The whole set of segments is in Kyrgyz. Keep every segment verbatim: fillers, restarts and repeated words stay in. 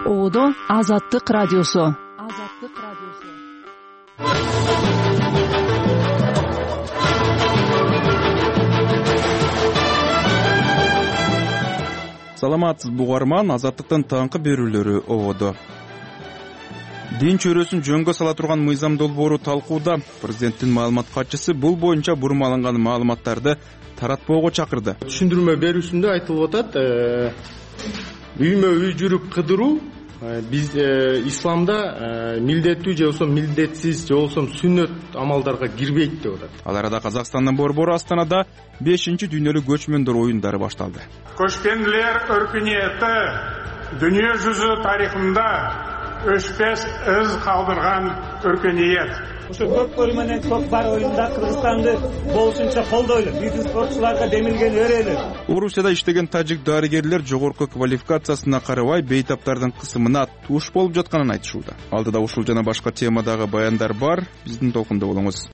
Оодо Азаттык радиосу. Азаттык радиосу. Саламатсыз бугарман, Азаттыктын таңкы берүүлөрү ободо. Дин чөйрөсүн жөнгө сала турган мыйзам долбоору талкууда. Президенттин маалымат катчысы бул боюнча бурмаланган маалыматтарды таратпоого чакырды. Түшүндүрмө берүүсүндө айтылып атат, үймө үй жүрүп кыдыруу биз исламда милдеттүү же болбосо милдетсиз же болбосо сүннөт амалдарга кирбейт деп атат. Ал арада Казакстандын борбору Астанада бешинчи дүйнөлүк көчмөндөр оюндары башталды. Көчкөнлөр өркүнөтү дүйнө жүзү тарыхында өчпөс из калдырган өркүнөт. Ошо көпкөлү менен көк бар оюнда Кыргызстанды болушунча колдойлу, биздин спортчуларга демилген өрөөлү. Орусияда иштеген тажик дарыгерлер жогорку квалификациясына карабай бейтаптардын кысымына туш болуп жатканын айтышууда. Алдыда ушул жана башка темадагы баяндар бар, биздин толкунда болуңуз.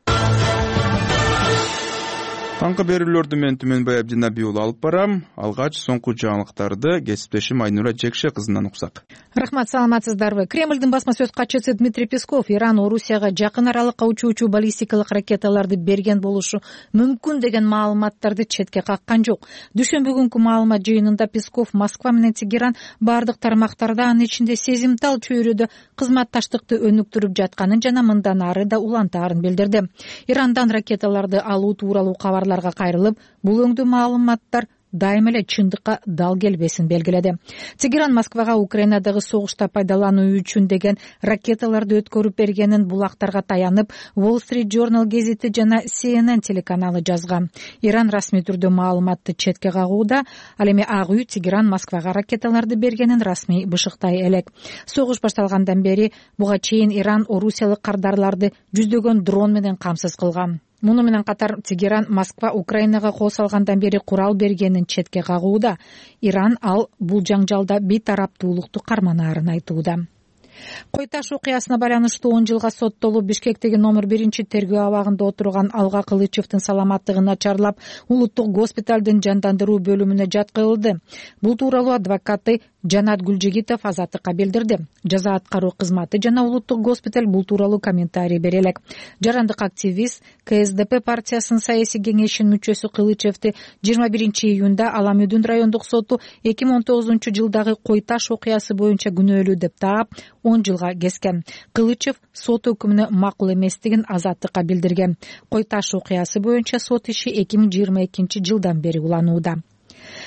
Таңкы берүүлөрдү мен Түмөнбай Абдинабий уулу алып барам. Алгач соңку жаңылыктарды кесиптешим Айнура Жекше кызынан уксак. Рахмат, саламатсыздарбы? Кремлдин басма сөз катчысы Дмитрий Песков Иран Орусияга жакын аралыкка учуучу баллистикалык ракеталарды берген болушу мүмкүн деген маалыматтарды четке каккан жок. Дүйшөмбү күнкү маалымат жыйынында Песков Москва менен Тегеран бардык тармактарда, анын ичинде сезимтал чөйрөдө кызматташтыкты өнүктүрүп жатканын жана мындан ары да улантаарын билдирди. Ирандан ракеталарды алуу тууралуу кабарларга кайрылып, бул өңдүү маалыматтар дайым эле чындыкка дал келбесин белгиледи. Тегеран Москвага Украинадагы согушта пайдалануу үчүн деген ракеталарды өткөрүп бергенин булактарга таянып, Wall Street Journal гезити жана си эн эн телеканалы жазган. Иран расмий түрдө маалыматты четке кагууда, ал эми Ак үй Тегеран Москвага ракеталарды бергенин расмий бышыктай элек. Согуш башталгандан бери буга чейин Иран орусиялык кардарларды жүздөгөн дрон менен камсыз кылган. Муну менен катар Тегеран Москва Украинага кол салгандан бери курал бергенин четке кагууда. Иран ал бул жаңжалда бейтараптуулукту карманаарын айтууда. Кой-Таш окуясына байланыштуу он жылга соттолуп Бишкектеги номер биринчи тергөө абагында отурган Алга Кылычевдин саламаттыгы начарлап, улуттук госпиталдын жандандыруу бөлүмүнө жаткырылды. Бул тууралуу адвокаты Жанат Гүлжигитов Азаттыкка билдирди. Жаза аткаруу кызматы жана улуттук госпиталь бул тууралуу комментарий бере элек. Жарандык активист ка эс дэ пэ партиясынын саясий кеңешинин мүчөсү Кылычевди жыйырма биринчи июнда Аламүдүн райондук соту эки миң он тогузунчу жылдагы Кой-Таш окуясы боюнча күнөөлүү деп таап, он жылга kesкен. Кылычев сот өкүмүнө макул эместигин Азаттыкка билдирген. Кой-Таш окуясы боюнча сот иши эки миң жыйырма экинчи жылдан бери уланууда.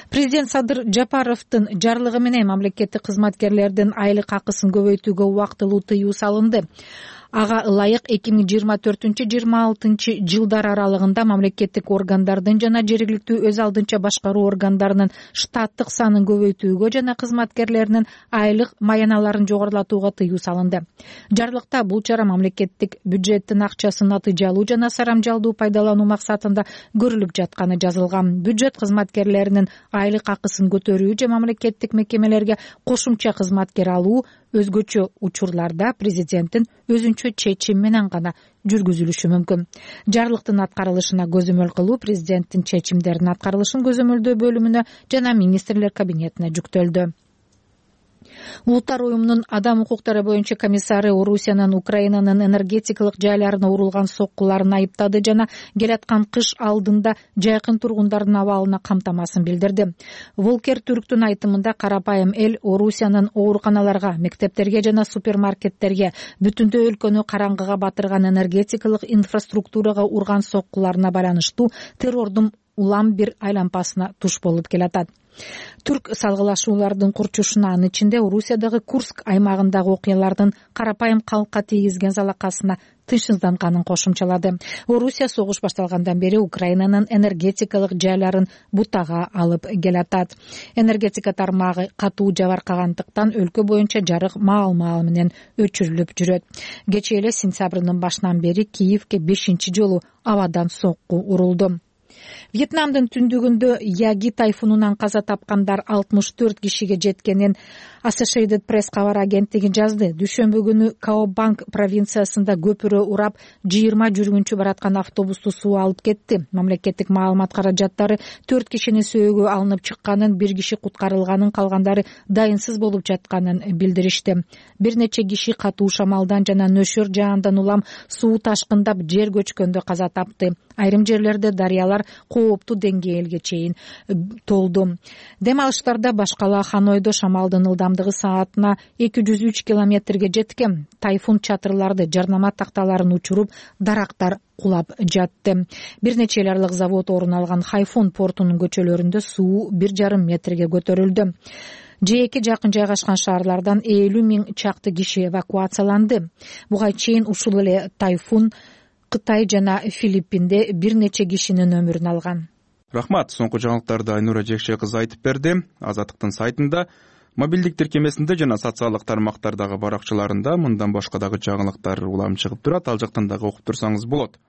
Президент Садыр Жапаровдун жарлыгы менен мамлекеттик кызматкерлердин айлык акысын көбөйтүүгө убактылуу тыюу салынды. Ага ылайык эки миң жыйырма төртүнчү жыйырма алтынчы жылдар аралыгында мамлекеттик органдардын жана жергиликтүү өз алдынча башкаруу органдарынын штаттык санын көбөйтүүгө жана кызматкерлеринин айлык маяналарын жогорулатууга тыюу салынды. Жарлыкта бул чара мамлекеттик бюджеттин акчасын натыйжалуу жана сарамжалдуу пайдалануу максатында көрүлүп жатканы жазылган. Бюджет кызматкерлеринин айлык акысын көтөрүү же мамлекеттик мекемелерге кошумча кызматкер алуу өзгөчө учурларда президенттин өзүнчө чечим менен гана жүргүзүлүшү мүмкүн. Жарлыктын аткарылышына көзөмөл кылуу президенттин чечимдеринин аткарылышын көзөмөлдөө бөлүмүнө жана министрлер кабинетине жүктөлдү. Улуттар уюмунун адам укуктары боюнча комиссары Орусиянын Украинанын энергетикалык жайларына урулган соккуларын айыптады жана келаткан кыш алдында жайкын тургундардын абалына камтамасын билдирди. Волкер Түрктүн айтымында карапайым эл Орусиянын ооруканаларга, мектептерге жана супермаркеттерге, бүтүндөй өлкөнү караңгыга батырган энергетикалык инфраструктурага урган соккуларына байланыштуу террордун улам бир айлампасына туш болуп келатат. Түрк салгылашуулардын курчушуна, анын ичинде Орусиядагы Курск аймагындагы окуялардын карапайым калкка тийгизген залакасына тынчсызданганын кошумчалады. Орусия согуш башталгандан бери Украинанын энергетикалык жайларын бутага алып келатат. Энергетика тармагы катуу жабыркагандыктан өлкө боюнча жарык маал-маал менен өчүрүлүп жүрөт. Кечээ эле сентябрдын башынан бери Киевке бешинчи жолу абадан сокку урулду. Вьетнамдын түндүгүндө Яги тайфунунан каза тапкандар алтымыш төрт кишиге жеткенин Associated Press кабар агенттиги жазды. Дүйшөмбү күнү Каобанг провинциясында көпүрө урап жыйырма жүргүнчү бараткан автобусту суу алып кетти. Мамлекеттик маалымат каражаттары төрт кишинин сөөгү алынып чыкканын, бир киши куткарылганын, калгандары дайынсыз болуп жатканын билдиришти. Бир нече киши катуу шамалдан жана нөшөр жаандан улам суу ташкындап жер көчкөндө каза тапты. Айрым жерлерде дарыялар кооптуу деңгээлге чейин толду. Дем алыштарда башкала Ханойдо шамалдын ылдамдыгы саатына эки жүз үч километрге жеткен. Тайфун чатырларды, жарнама такталарын учуруп, дарактар кулап жатты. Бир нече айлык завод орун алган Хайфун портунун көчөлөрүндө суу бир жарым метрге көтөрүлдү. Жээкке жакын жайгашкан шаарлардан элүү миң чакты киши эвакуацияланды. Буга чейин ушул эле тайфун Кытай жана Филиппинде бир нече кишинин өмүрүн алган. Рахмат. Соңку жаңылыктарды Айнура Жекше кызы айтып берди. Азаттыктын сайтында, мобилдик тиркемесинде жана социалдык тармактардагы баракчаларында мындан башка дагы жаңылыктар улам чыгып турат. Ал жактан дагы окуп турсаңыз болот.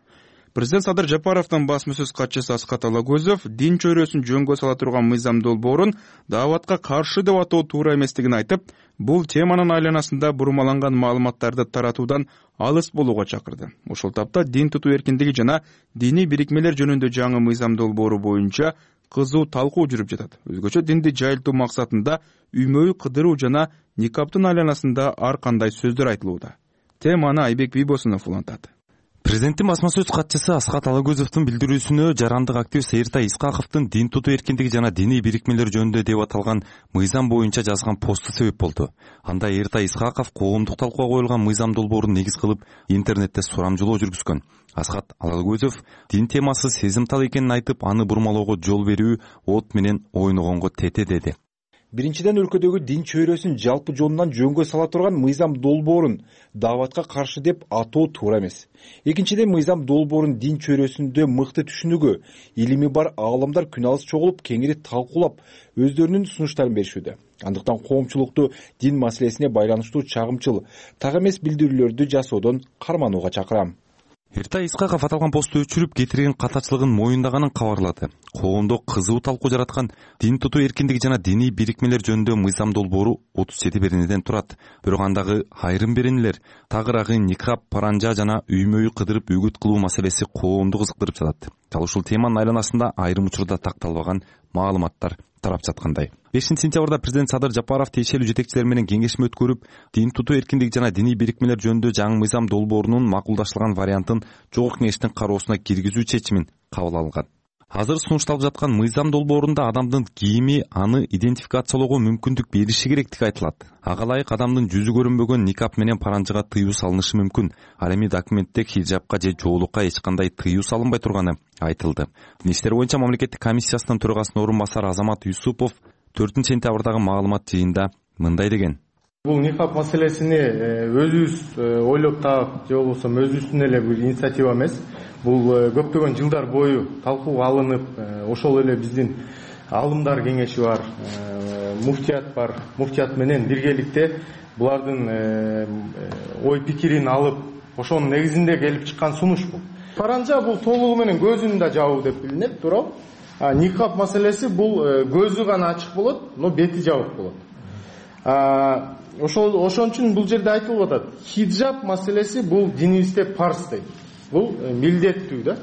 Президент Садыр Жапаровдун басма сөз катчысы Аскат Алагөзов дин чөйрөсүн жөнгө сала турган мыйзам долбоорун дааватка каршы деп атоо туура эместигин айтып, бул теманын айланасында бурмаланган маалыматтарды таратуудан алыс болууга чакырды. Ошол тапта дин тутуу эркиндиги жана диний бирикмелер жөнүндө жаңы мыйзам долбоору боюнча кызуу талкуу жүрүп жатат. Өзгөчө динди жайылтуу максатында үймөй кыдыруу жана никаптын айланасында ар кандай сөздөр айтылууда. Теманы Айбек Бийбосунов улантат. Президенттин басма сөз катчысы Аскат Алагөзовдун билдирүүсүнө жарандык активист Эртай Исхаковдун дин тутуу эркиндиги жана диний бирикмелер жөнүндө деп аталган мыйзам боюнча жазган посту себеп болду. Анда Эртай Исхаков коомдук талкууга коюлган мыйзам долбоорун негиз кылып интернетте сурамжылоо жүргүзгөн. Аскат Алагөзов дин темасы сезимтал экенин айтып, аны бурмалоого жол берүү от менен ойногонго тете деди. Биринчиден, өлкөдөгү дин чөйрөсүн жалпы жонунан жөнгө сала турган мыйзам долбоорун дааватка каршы деп атоо туура эмес. Экинчиден, мыйзам долбоорун дин чөйрөсүндө мыкты түшүнүүгө илими бар аалымдар күн алыс чогулуп, кеңири талкуулап, өздөрүнүн сунуштарын беришүүдө. Андыктан коомчулукту дин маселесине байланыштуу чагымчыл, так эмес билдирүүлөрдү жасоодон карманууга чакырам. Эртай Исхаков аталган посту өчүрүп, кетирген катачылыгын моюндаганын кабарлады. Коомдо кызуу талкуу жараткан дин тутуу эркиндиги жана диний бирикмелер жөнүндө мыйзам долбоору отуз жети беренеден турат. Бирок андагы айрым беренелер, тагыраагы никап, паранжа жана үймөй кыдырып үгүт кылуу маселеси коомду кызыктырып жатат. Ал ушул теманын айланасында айрым учурда такталбаган маалыматтар тарап жаткандай. бешинчи сентябрда президент Садыр Жапаров тиешелүү жетекчилер менен кеңешме өткөрүп, дин тутуу эркиндиги жана диний бирикмелер жөнүндө жаңы мыйзам долбоорунун макулдашылган вариантын Жогорку Кеңештин кароосуна киргизүү чечимин кабыл алган. Азыр сунушталып жаткан мыйзам долбоорунда адамдын кийими аны идентификациялоого мүмкүндүк бериши керектиги айтылат. Ага ылайык адамдын жүзү көрүнбөгөн никап менен паранжыга тыюу салынышы мүмкүн. Ал эми документте хиджабка же жоолукка эч кандай тыюу салынбай турганы айтылды. Дин иштери боюнча мамлекеттик комиссиясынын төрагасынын орун басары Азамат Юсупов төртүнчү сентябрдагы маалымат жыйында мындай деген. Бул никап маселесини өзүбүз ойлоп таап, же болбосо өзүбүздүн эле бир инициатива эмес. Бул көптөгөн жылдар бою талкууга алынып, ошол эле биздин алымдар кеңеши бар, муфтият бар. Муфтият менен биргеликте булардын ой пикирин алып, ошонун негизинде келип чыккан сунуш бул. Паранжа бул толугу менен көзүн да жабуу деп билинет, туурабы? А никап маселеси бул көзү гана ачык болот, но бети жабык болот. Ошол ошон үчүн бул жерде айтылып атат. Хиджаб маселеси бул динибизде парз дейт. Бул милдеттүү да.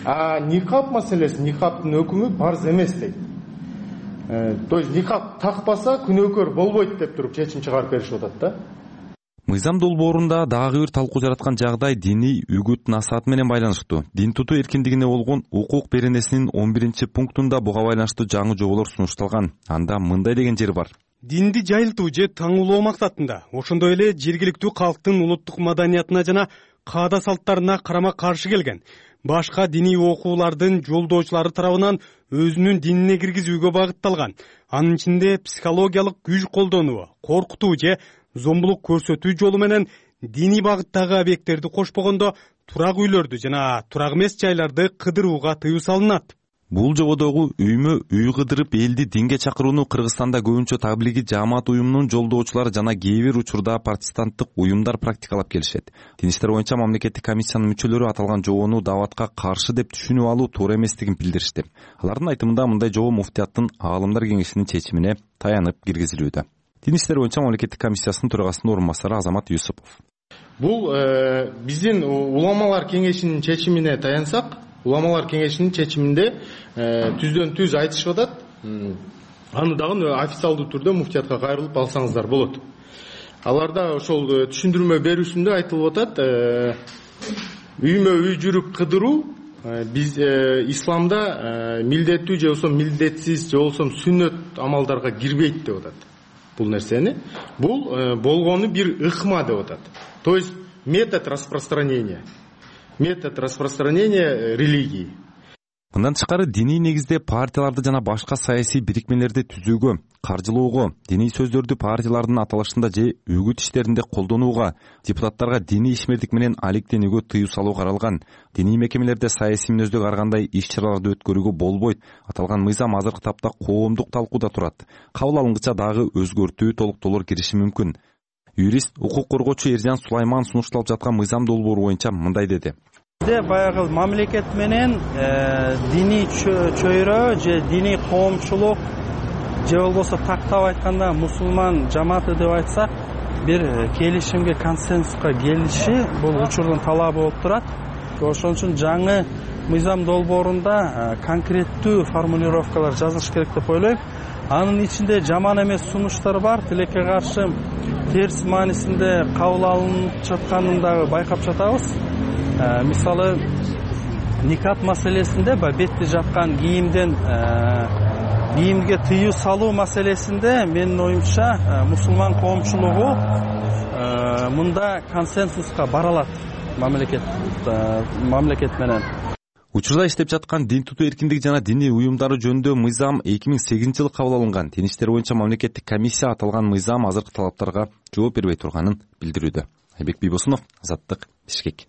А никап маселеси, никаптын өкүмү парз эмес дейт. То есть никап такпаса күнөөкөр болбойт деп туруп чечим чыгарып беришип атат да. Мыйзам долбоорунда дагы бир талкуу жараткан жагдай диний үгүт насаат менен байланыштуу. Дин тутуу эркиндигине болгон укук беренесинин он биринчи пунктунда буга байланыштуу жаңы жоболор сунушталган. Анда мындай деген жери бар. Динди жайылтуу же таңуулоо максатында, ошондой эле жергиликтүү калктын улуттук маданиятына жана каада салттарына карама каршы келген башка диний окуулардын жолдоочулары тарабынан өзүнүн динине киргизүүгө багытталган, анын ичинде психологиялык күч колдонуу, коркутуу же зомбулук көрсөтүү жолу менен диний багыттагы объекттерди кошпогондо турак үйлөрдү жана турак эмес жайларды кыдырууга тыюу салынат. Бул жободогу үймө үй кыдырып элди динге чакырууну Кыргызстанда көбүнчө таблиги жаамат уюмунун жолдоочулары жана кээ бир учурда протестанттык уюмдар практикалап келишет. Дин иштер боюнча мамлекеттик комиссиянын мүчөлөрү аталган жобону дааватка каршы деп түшүнүп алуу туура эместигин билдиришти. Алардын айтымында мындай жобо муфтияттын аалымдар кеңешинин чечимине таянып киргизилүүдө. Дин иштер боюнча мамлекеттик комиссиясынын төрагасынын орун басары Азамат Юсупов. Бул биздин уламалар кеңешинин чечимине таянсак, уламалар кеңешинин чечиминде түздөн түз айтышып атат. Аны дагы официалдуу түрдө муфтиятка кайрылып алсаңыздар болот. Аларда ошол түшүндүрмө берүүсүндө айтылып атат, үймө үй жүрүп кыдыруу биз исламда милдеттүү же болбосо милдетсиз же болбосо сүннөт амалдарга кирбейт деп атат. Бул нерсени бул болгону бир ыкма деп атат. То есть метод распространения. Метод распространения религии. Мындан тышкары диний негизде партияларды жана башка саясий бирикмелерди түзүүгө, каржылоого, диний сөздөрдү партиялардын аталышында же үгүт иштеринде колдонууга, депутаттарга диний ишмердик менен алектенүүгө тыюу салуу каралган. Диний мекемелерде саясий мүнөздөгө ар кандай иш-чараларды өткөрүүгө болбойт. Аталган мыйзам азыркы тапта коомдук талкууда турат. Кабыл алынгыча дагы өзгөртүү, толуктоолор кириши мүмкүн. Юрист, укук коргоочу Эржан Сулайман сунушталып жаткан мыйзам долбоору боюнча мындай деди. Баягы мамлекет менен диний чөйрө же диний коомчулук же болбосо тактап айтканда мусулман жамааты деп айтсак, бир келишимге, консенсуска келиши бул учурдун талабы болуп турат. Ошон үчүн жаңы мыйзам долбоорунда конкреттүү формулировкалар жазылыш керек деп ойлойм. Анын ичинде жаман эмес сунуштар бар, тилекке каршы терс маанисинде кабыл алынып жатканын дагы байкап жатабыз. Мисалы, никап маселесинде бетти жапкан кийимден кийимге тыюу салуу маселесинде менин оюмча мусулман коомчулугу мында консенсуска бара алат мамлекет мамлекет менен. Учурда иштеп жаткан дин тутуу эркиндиги жана диний уюмдары жөнүндө мыйзам эки миң сегизинчи жылы кабыл алынган. Дин иштер боюнча мамлекеттик комиссия аталган мыйзам азыркы талаптарга жооп бербей турганын билдирүүдө. Айбек Бийбосунов, Азаттык, Бишкек.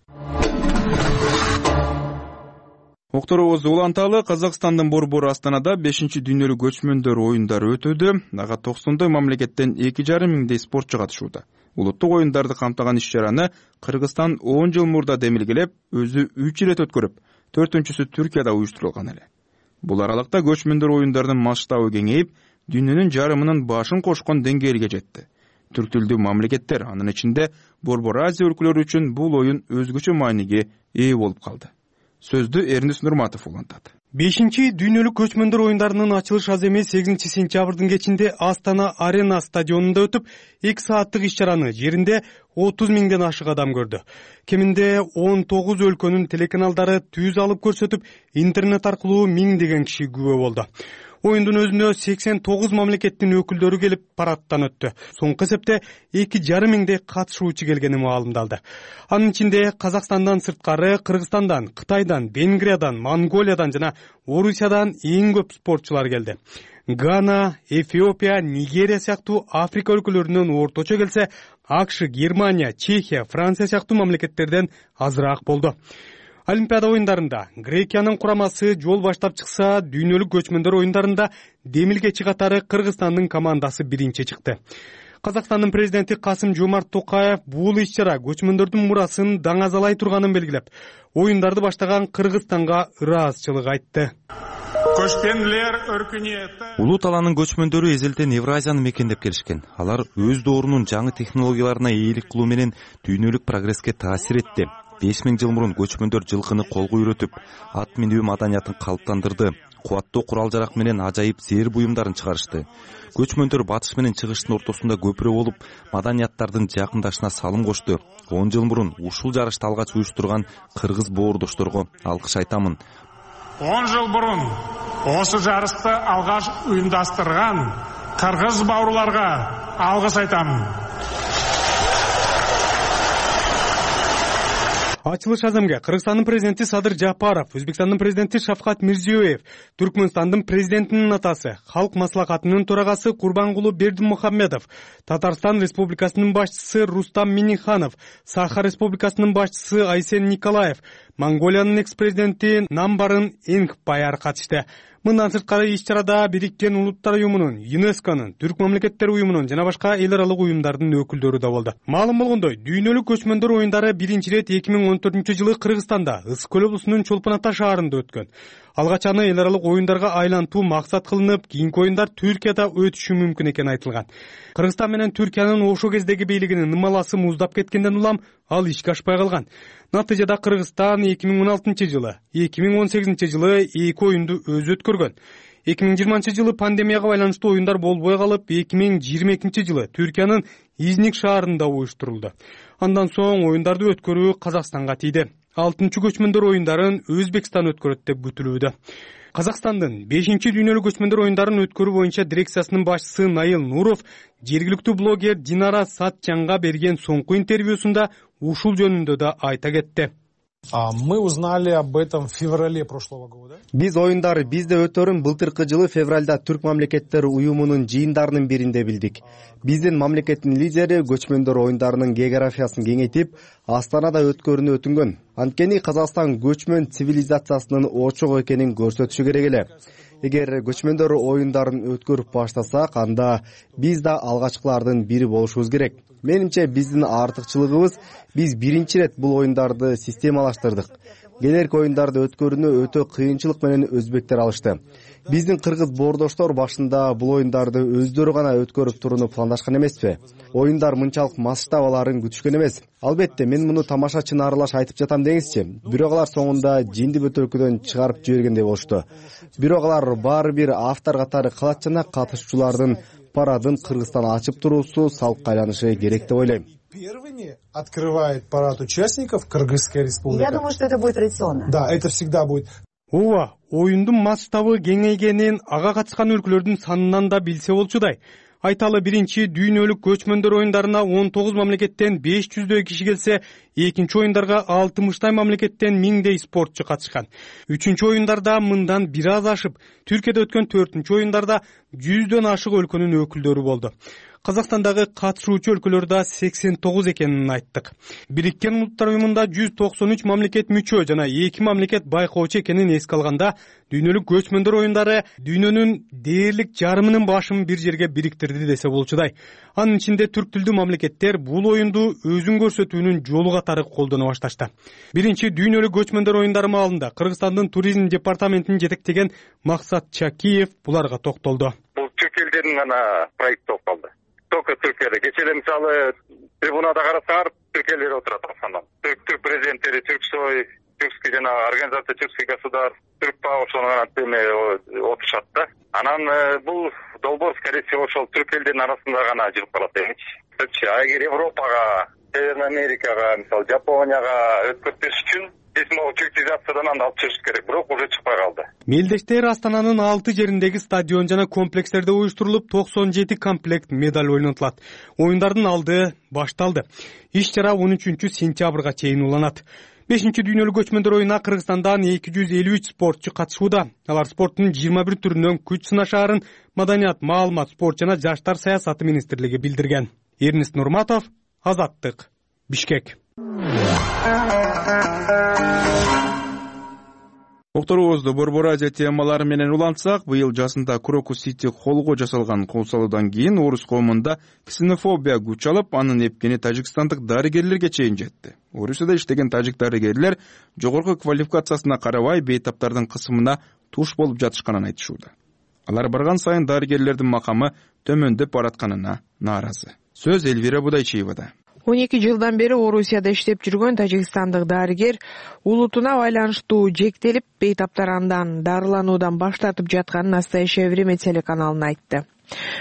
Окторубуз уланталы. Казакстандын борбору Астанада бешинчи дүйнөлүк көчмөндөр оюндары өтүүдө. Ага токсондой мамлекеттен эки жарым миңдей спортчу катышууда. Улуттук оюндарды камтыган иш-чараны Кыргызстан он жыл мурда демилгелеп, өзү үч ирет өткөрүп, төртүнчүсү Түркияда уюштурулган эле. Бул аралыкта көчмөндөр оюндардын масштабы кеңейип, дүйнөнүн жарымынын башын кошкон деңгээлге жетти. Түрк тилдүү мамлекеттер, анын ичинде Борбор Азия өлкөлөрү үчүн бул оюн өзгөчө мааниге ээ болуп калды. Сөздү Эрнис Нурматов улантат. бешинчи дүйнөлүк көчмөндөр оюндарынын ачылыш аземи сегизинчи сентябрдын кечинде Астана Арена стадионунда өтүп, эки сааттык иш-чараны жеринде отуз миңден ашык адам көрдү. Кеминде он тогуз өлкөнүн телеканалдары түз алып көрсөтүп, интернет аркылуу миңдеген киши күбө болду. Оюндун өзүнө сексен тогуз мамлекеттин өкүлдөрү келип парадтан өттү. Соңку эсепте эки жарым миңдей катышуучу келгени маалымдалды. Анын ичинде Казакстандан сырткары Кыргызстандан, Кытайдан, Венгриядан, Монголиядан жана Орусиядан эң көп спортчулар келди. Гана, Эфиопия, Нигерия сыяктуу Африка өлкөлөрүнөн орточо келсе, АКШ, Германия, Чехия, Франция сыяктуу мамлекеттерден азыраак болду. Олимпиада оюндарында Грекиянын курамасы жол баштап чыкса, дүйнөлүк көчмөндөр оюндарында демилгечи катары Кыргызстандын командасы биринчи чыкты. Казакстандын президенти Касым Жомарт Токаев бул иш-чара көчмөндөрдүн мурасын даңазалай турганын белгилеп, оюндарды баштаган Кыргызстанга ыраазычылык айтты. Көчмөндөр өркүнөтү. Улуу талаанын көчмөндөрү эзелтен Евразияны мекендеп келишкен. Алар өз доорунун жаңы технологияларына ээлик кылуу менен дүйнөлүк прогресске таасир этти. беш миң жыл мурун көчмөндөр жылкыны колго үйрөтүп, ат минүү маданиятын калыптандырды. Кубаттуу курал-жарак менен ажайып зээр буюмдарын чыгарышты. Көчмөндөр батыш менен чыгыштын ортосунда көпүрө болуп, маданияттардын жакындашына салым кошту. он жыл мурун ушул жарышты алгач уюштурган кыргыз боордошторго алкыш айтамын. он жыл мурун осы жарышты алгаш уюмдаштырган кыргыз бауырларга алгыс айтамын. ачылыш аземге Кыргызстандын президенти Садыр Жапаров, Өзбекстандын президенти Шавкат Мирзиёев, Түркмөнстандын президентинин атасы, Халк маслахатынын төрагасы Курбангулу Бердимухамедов, Татарстан Республикасынын башчысы Рустам Миниханов, Саха Республикасынын башчысы Айсен Николаев, Монголиянын экс-президенти Намбарын Энгбаяр катышты. Мындан сырткары иш-чарада Бириккен Улуттар уюмунун, ЮНЕСКОнун, Түрк мамлекеттери уюмунун жана башка эл аралык уюмдардын өкүлдөрү да болду. Маалым болгондой, дүйнөлүк көчмөндөр оюндары биринчи ирет эки миң он төртүнчү жылы Кыргызстанда, Ысык көл облусунун Чолпон Ата шаарында өткөн. Алгач аны эл аралык оюндарга айлантуу максат кылынып, кийинки оюндар Түркияда өтүшү мүмкүн экени айтылган. Кыргызстан менен Түркиянын ошо кездеги бийлигинин ымаласы муздап кеткенден улам ал ишке ашпай калган. Натыйжада Кыргызстан эки миң он алтынчы жылы, эки миң он сегизинчи жылы эки оюнду өзү өткөргөн. эки миң жыйырманчы жылы пандемияга байланыштуу оюндар болбой калып, эки миң жыйырма экинчи жылы Түркиянын Изник шаарында уюштурулду. Андан соң оюндарды өткөрүү Казакстанга тийди. алтынчы көчмөндөр оюндарын Өзбекстан өткөрөт деп күтүлүүдө. Казакстандын бешинчи дүйнөлүк көчмөндөр оюндарын өткөрүү боюнча дирекциясынын башчысы Наил Нуров жергиликтүү блогер Динара Сатчанга берген соңку интервьюсунда ушул жөнүндө да айта кетти. Мы узнали об этом в феврале прошлого года. Биз оюндар бизде өтөрүн былтыркы жылы февралда Түрк мамлекеттери уюмунун жыйындарынын биринде билдик. Биздин мамлекеттин лидери көчмөндөр оюндарынын географиясын кеңейтип, Астанада өткөрүүнү өтүнгөн. Анткени Казакстан көчмөн цивилизациясынын очогу экенин көрсөтүшү керек эле. Эгер көчмөндөр оюндарын өткөрүп баштасак, анда биз да алгачкылардын бири болушубуз керек. Менимче биздин артыкчылыгыбыз биз биринчи ирет бул оюндарды системалаштырдык. Келерки оюндарды өткөрүүнү өтө кыйынчылык менен өзбектер алышты. Биздин кыргыз боордоштор башында бул оюндарды өздөрү гана өткөрүп турууну пландашкан эмеспи. Оюндар мынчалык масштаб аларын күтүшкөн эмес. Албетте мен муну тамашачыны аралаш айтып жатам деңизчи. Бирок алар соңунда жинди бөтөлкөдөн чыгарып жибергендей болушту. Бирок алар баары бир автор катары калат жана катышуучулардын парадын Кыргызстан ачып туруусу салкка айланышы керек деп ойлойм. Первыми открывает парад участников Кыргызская республика. Я думаю, что это будет традиционно. Да, это всегда будет. Ооба, оюндун масштабы кеңейгенин ага катышкан өлкөлөрдүн санынан да билсе болчудай. Айталы биринчи дүйнөлүк көчмөндөр оюндарына он тогуз мамлекеттен беш жүздөй киши келсе, экинчи оюндарга алтымыштай мамлекеттен миңдей спортчу катышкан. Үчүнчү оюндарда мындан бир аз ашып, Түркияда өткөн төртүнчү оюндарда жүздөн ашык өлкөнүн өкүлдөрү болду. Казакстандагы катышуучу өлкөлөр да сексен тогуз экенин айттык. Бириккен Улуттар уюмунда жүз токсон үч мамлекет мүчө жана эки мамлекет байкоочу экенин эске алганда, дүйнөлүк көчмөндөр оюндары дүйнөнүн дээрлик жарымынын башын бир жерге бириктирди десе болчудай. Анын ичинде түрк тилдүү мамлекеттер бул оюнду өзүн көрсөтүүнүн жолу катары колдоно башташты. Биринчи дүйнөлүк көчмөндөр оюндары маалында Кыргызстандын туризм департаментин жетектеген Максат Чакиев буларга токтолду. Бул түрк элдеринин гана проекти болуп калды. Только Түркияда. Кечээ мисалы трибунада карасаңар, түрк элдери отурат асандан. Түрк түрк президенттери, Түрксой, Түркский жана организация Түркский государств, Түркпа ошонун антеме отурушат да. Анан бул долбоор, скорее всего, ошол түрк элдеринин арасында гана жүрүп калат эмичи. А эгер Европага, Северный Америкага, мисалы Жапонияга өткөрүш үчүн цивилизациядан анда алып чыгыш керек, бирок уже чыкпай калды. Мелдештер Астананын алты жериндеги стадион жана комплекстерде уюштурулуп, токсон жети комплект медаль ойнотулат. Оюндардын алды башталды. Иш-чара он үчүнчү сентябрга чейин уланат. бешинчи дүйнөлүк көчмөндөр оюнуна Кыргызстандан эки жүз элүү үч спортчу катышууда. Алар спорттун жыйырма бир түрүнөн күч сынашаарын Маданият, маалымат, спорт жана жаштар саясаты министрлиги билдирген. Эрнест Нурматов, Азаттык, Бишкек. Окторубузду Борбор Азия темалары менен улантсак, быйыл жазында Крокус Сити холго жасалган кол салуудан кийин орус коомунда ксенофобия күч алып, анын эпкени тажикстандык дарыгерлерге чейин жетти. Орусияда иштеген тажик дарыгерлер жогорку квалификациясына карабай бейтаптардын кысымына туш болуп жатышканын айтышууда. Алар барган сайын дарыгерлердин макамы төмөндөп баратканына нааразы. Сөз Элвира Будайчиевада. он эки жылдан бери Орусияда иштеп жүргөн тажикстандык дарыгер улутуна байланыштуу жектелип, бейтаптар андан дарылануудан баш тартып жатканын Настоящее время телеканалына айтты.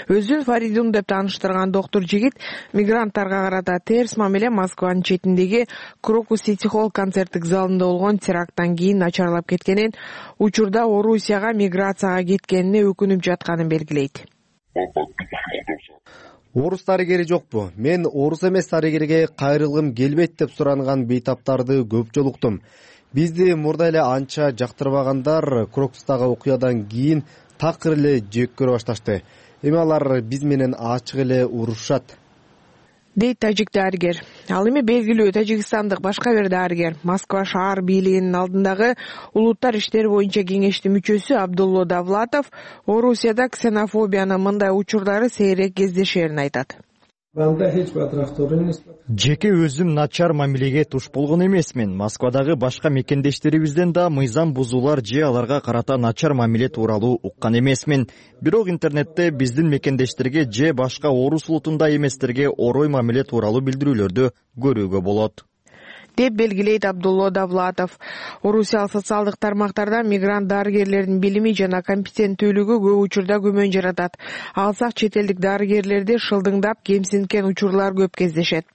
Өзүн Фаридун деп тааныштырган доктор жигит мигранттарга карата терс мамиле Москванын четиндеги Крокус Сити Холл концерттик залында болгон теракттан кийин начарлап кеткенин, учурда Орусияга миграцияга кеткенине өкүнүп жатканын белгилейт. Орус дарыгери жокпу? Мен орус эмес дарыгерге кайрылгым келбейт деп суранган бейтаптарды көп жолуктум. Бизди мурда эле анча жактырбагандар Крокустагы окуядан кийин такыр эле жек көрө башташты. Эми алар биз менен ачык эле урушат, дейт тажик дарыгер. Ал эми белгилүү тажикстандык башка бир дарыгер, Москва шаар бийлигинин алдындагы улуттар иштери боюнча кеңештин мүчөсү Абдулло Давлатов Орусияда ксенофобиянын мындай учурлары сейрек кездешерин айтат. Жеке өзүм начар мамилеге туш болгон эмесмин. Москвадагы башка мекендештерибизден да мыйзам бузуулар же аларга карата начар мамиле тууралуу уккан эмесмин. Бирок интернетте биздин мекендештерге же башка орус улутунда эместерге орой мамиле тууралуу билдирүүлөрдү көрүүгө болот, деп белгилейт Абдулло Давлатов. Орусиялык социалдык тармактарда мигрант дарыгерлердин билими жана компетенттүүлүгү көп учурда күмөн жаратат. Алсак чет элдик дарыгерлерди шылдыңдап кемсинткен учурлар көп кездешет.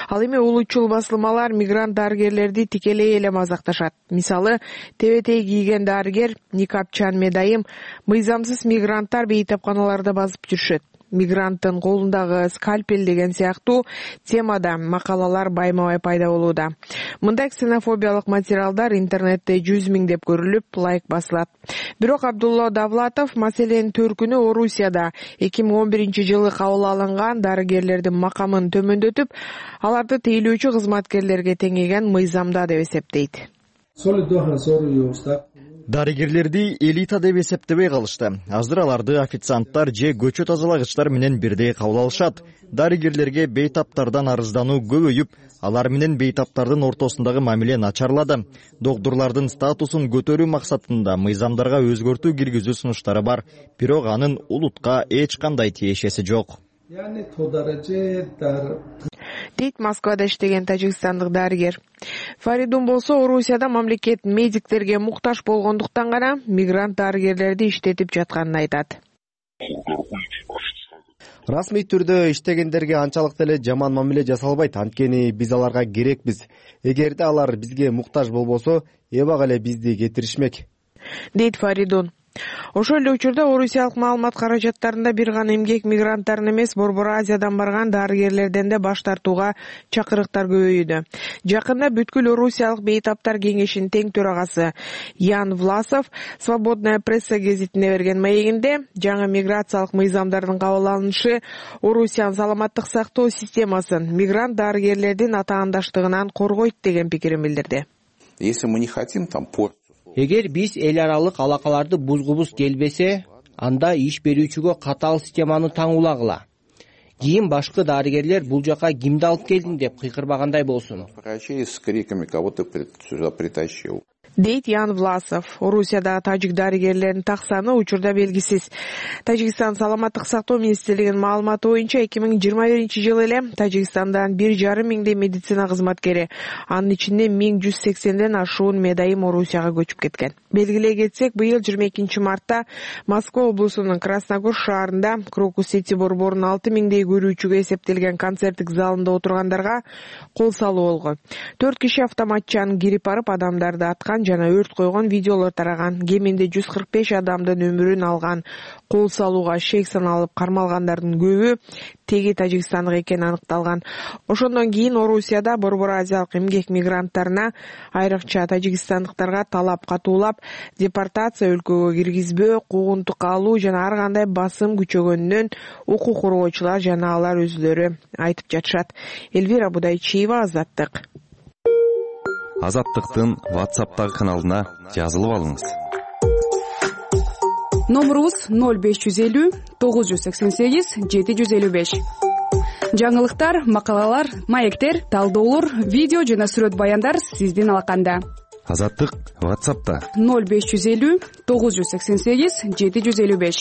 Ал эми улутчул басылмалар мигрант дарыгерлерди тикелей эле мазакташат. Мисалы, тебетей кийген дарыгер Никапчан Медайым мыйзамсыз мигранттар бейтапканаларда басып жүрүшөт. Мигранттын колундагы скальпель деген сыяктуу темада макалалар байма-бай пайда болууда. Мындай ксенофобиялык материалдар интернетте жүз миңдеп көрүлүп, лайк басылат. Бирок Абдулло Давлатов маселенин төркүнү Орусияда эки миң он биринчи жылы кабыл алынган дарыгерлердин макамын төмөндөтүп, аларды тейлөөчү кызматкерлерге теңеген мыйзамда деп эсептейт. Дарыгерлерди элита деп эсептебей калышты. Азыр аларды официанттар же көчө тазалагычтар менен бирдей кабыл алышат. Дарыгерлерге бейтаптардан арыздануу көбөйүп, алар менен бейтаптардын ортосундагы мамиле начарлады. Доктурлардын статусун көтөрүү максатында мыйзамдарга өзгөртүү киргизүү сунуштары бар, бирок анын улутка эч кандай тиешеси жок, дейт Москвада иштеген тажикстандык дарыгер. Фаридун болсо Орусияда мамлекет медиктерге муктаж болгондуктан гана мигрант дарыгерлерди иштетип жатканын айтат. Расмий түрдө иштегендерге анчалык деле жаман мамиле жасалбайт, анткени биз аларга керекпиз. Эгерде алар бизге муктаж болбосо, эбак эле бизди кетиришмек, дейт Фаридун. Ошол эле учурда орусиялык маалымат каражаттарында бир гана эмгек мигранттарын эмес, Борбор Азиядан барган дарыгерлерден да баш тартууга чакырыктар көбөйүүдө. Жакында бүткүл Орусиялык бейтаптар кеңешинин тең төрагасы Ян Власов Свободная пресса гезитине берген маегинде жаңы миграциялык мыйзамдардын кабыл алынышы Орусиянын саламаттык сактоо системасын мигрант дарыгерлердин атаандаштыгынан коргойт деген пикирин билдирди. Если мы не хотим там порт Эгер биз эл аралык алакаларды бузгубуз келбесе, анда иш берүүчүгө катаал системаны таңуулагыла. Кийин башкы дарыгерлер бул жака кимди алып келдиң деп кыйкырбагандай болсун, с криками кого-то сюда притащил, дейт Ян Власов. Орусияда тажик дарыгерлеринин так саны учурда белгисиз. Тажикстан саламаттык сактоо министрлигинин маалыматы боюнча эки миң жыйырма биринчи жылы эле Тажикстандан бир жарым миңдей медицина кызматкери, анын ичинде миң жүз сексенден ашуун медайым Орусияга көчүп кеткен. Белгилей кетсек, быйыл жыйырма экинчи мартта Москва облусунун Красногор шаарында Крокус Сити борборунун алты миңдей көрүүчүгө эсептелген концерттик залында отургандарга кол салуу болгон. Төрт киши автоматчан кирип барып адамдарды аткан жана өрт койгон видеолор тараган. Кеминде жүз кырк беш адамдын өмүрүн алган. Кол салууга шек саналып кармалгандардын көбү теги тажикстандык экени аныкталган. Ошондон кийин Орусияда Борбор Азиялык эмгек мигранттарына, айрыкча тажикстандыктарга талап катуулап, депортация, өлкөгө киргизбөө, куугунтукка алуу жана ар кандай басым күчөгөнүнөн укук коргоочулар жана алар өзүлөрү айтып жатышат. Элвира Будайчиева, Азаттык. Азаттыктын WhatsApp'тагы каналына жазылып алыңыз. Номерубуз ноль беш жүз элүү тогуз жүз сексен сегиз жети жүз элүү беш. Жаңылыктар, макалалар, маектер, талдоолор, видео жана сүрөт баяндар сиздин алаканда. Азаттык WhatsApp'та ноль беш жүз элүү тогуз жүз сексен сегиз жети жүз элүү беш.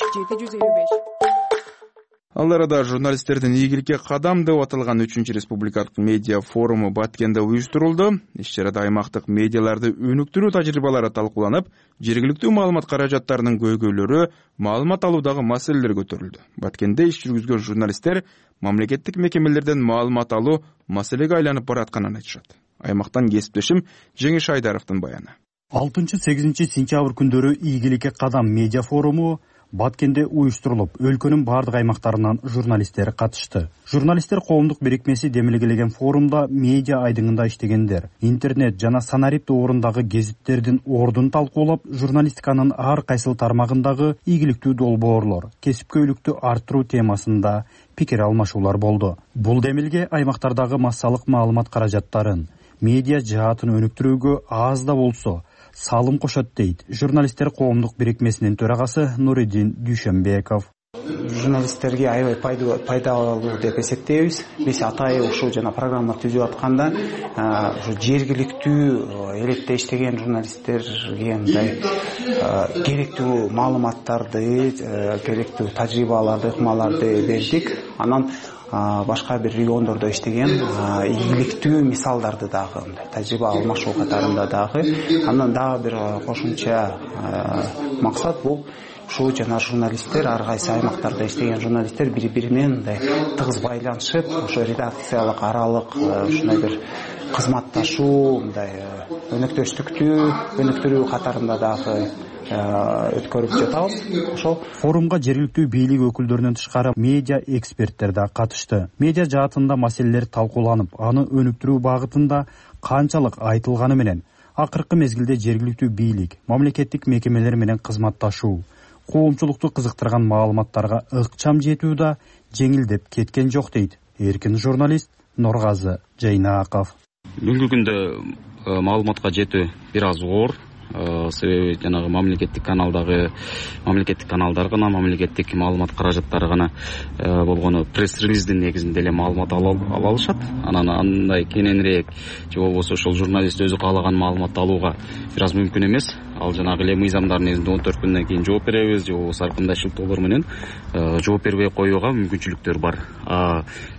Ал арада журналисттердин ийгиликке кадам деп аталган үчүнчү республикалык медиа форуму Баткенде уюштурулду. Иш-чарада аймактык медиаларды өнүктүрүү тажрыйбалары талкууланып, жергиликтүү маалымат каражаттарынын көйгөйлөрү, маалымат алуудагы маселелер көтөрүлдү. Баткенде иш жүргүзгөн журналисттер мамлекеттик мекемелерден маалымат алуу маселеге айланып баратканын айтышат. Аймактан кесиптешим Жеңиш Айдаровдун баяны. алтынчы сегизинчи сентябрь күндөрү ийгиликке кадам медиа форуму Баткенде уюштурулуп, өлкөнүн бардык аймактарынан журналисттер катышты. Журналисттер коомдук бирикмеси демилгелеген форумда медиа айдыңында иштегендер, интернет жана санарип тоорундагы гезиттердин ордун талкуулап, журналистиканын ар кайсыл тармагындагы ийгиликтүү долбоорлор, кесипкөйлүктү арттыруу темасында пикир алмашуулар болду. Бул демилге аймактардагы массалык маалымат каражаттарын, медиа жаатын өнүктүрүүгө аз да болсо салым кошот дейт журналисттер коомдук бирикмесинин төрагасы Нуриддин Дүйшөнбеков. Журналисттерге аябай пайдалуу деп эсептейбиз. Биз атайын ушул жана программа түзүп атканда ушу жергиликтүү элетте иштеген журналисттерге мындай керектүү маалыматтарды, керектүү тажрыйбаларды, ыкмаларды бердик. Анан башка бир региондордо иштеген ийгиликтүү мисалдарды дагы мындай тажрыйба алмашуу катарында дагы. Андан дагы бир кошумча максат бул ушул жана журналисттер, ар кайсы аймактарда иштеген журналисттер бири-бири менен мындай тыгыз байланышып, ошо редакциялык аралык ушундай бир кызматташуу, мындай өнөктөштүктү өнүктүрүү катарында дагы өткөрүп жатабыз. Ошол форумга жергиликтүү бийлик өкүлдөрүнөн тышкары медиа эксперттер да катышты. Медиа жаатында маселелер талкууланып, аны өнүктүрүү багытында канчалык айтылганы менен акыркы мезгилде жергиликтүү бийлик, мамлекеттик мекемелер менен кызматташуу, коомчулукту кызыктырган маалыматтарга ыкчам жетүү да жеңилдеп кеткен жок дейт эркин журналист Нургазы Жайнаков. Бүгүнкү күндө маалыматка жетүү бир аз оор. Себеби жанагы мамлекеттик каналдагы мамлекеттик каналдар гана, мамлекеттик маалымат каражаттары гана болгону пресс-релиздин негизинде эле маалымат ала алышат. Анан андай кененирээк же болбосо ошол журналист өзү каалаган маалыматты алууга бир аз мүмкүн эмес. Ал жанагы эле мыйзамдардын негизинде он төрт күндөн кийин жооп беребиз же болбосо ар кандай шылтоолор менен жооп бербей коюуга мүмкүнчүлүктөр бар.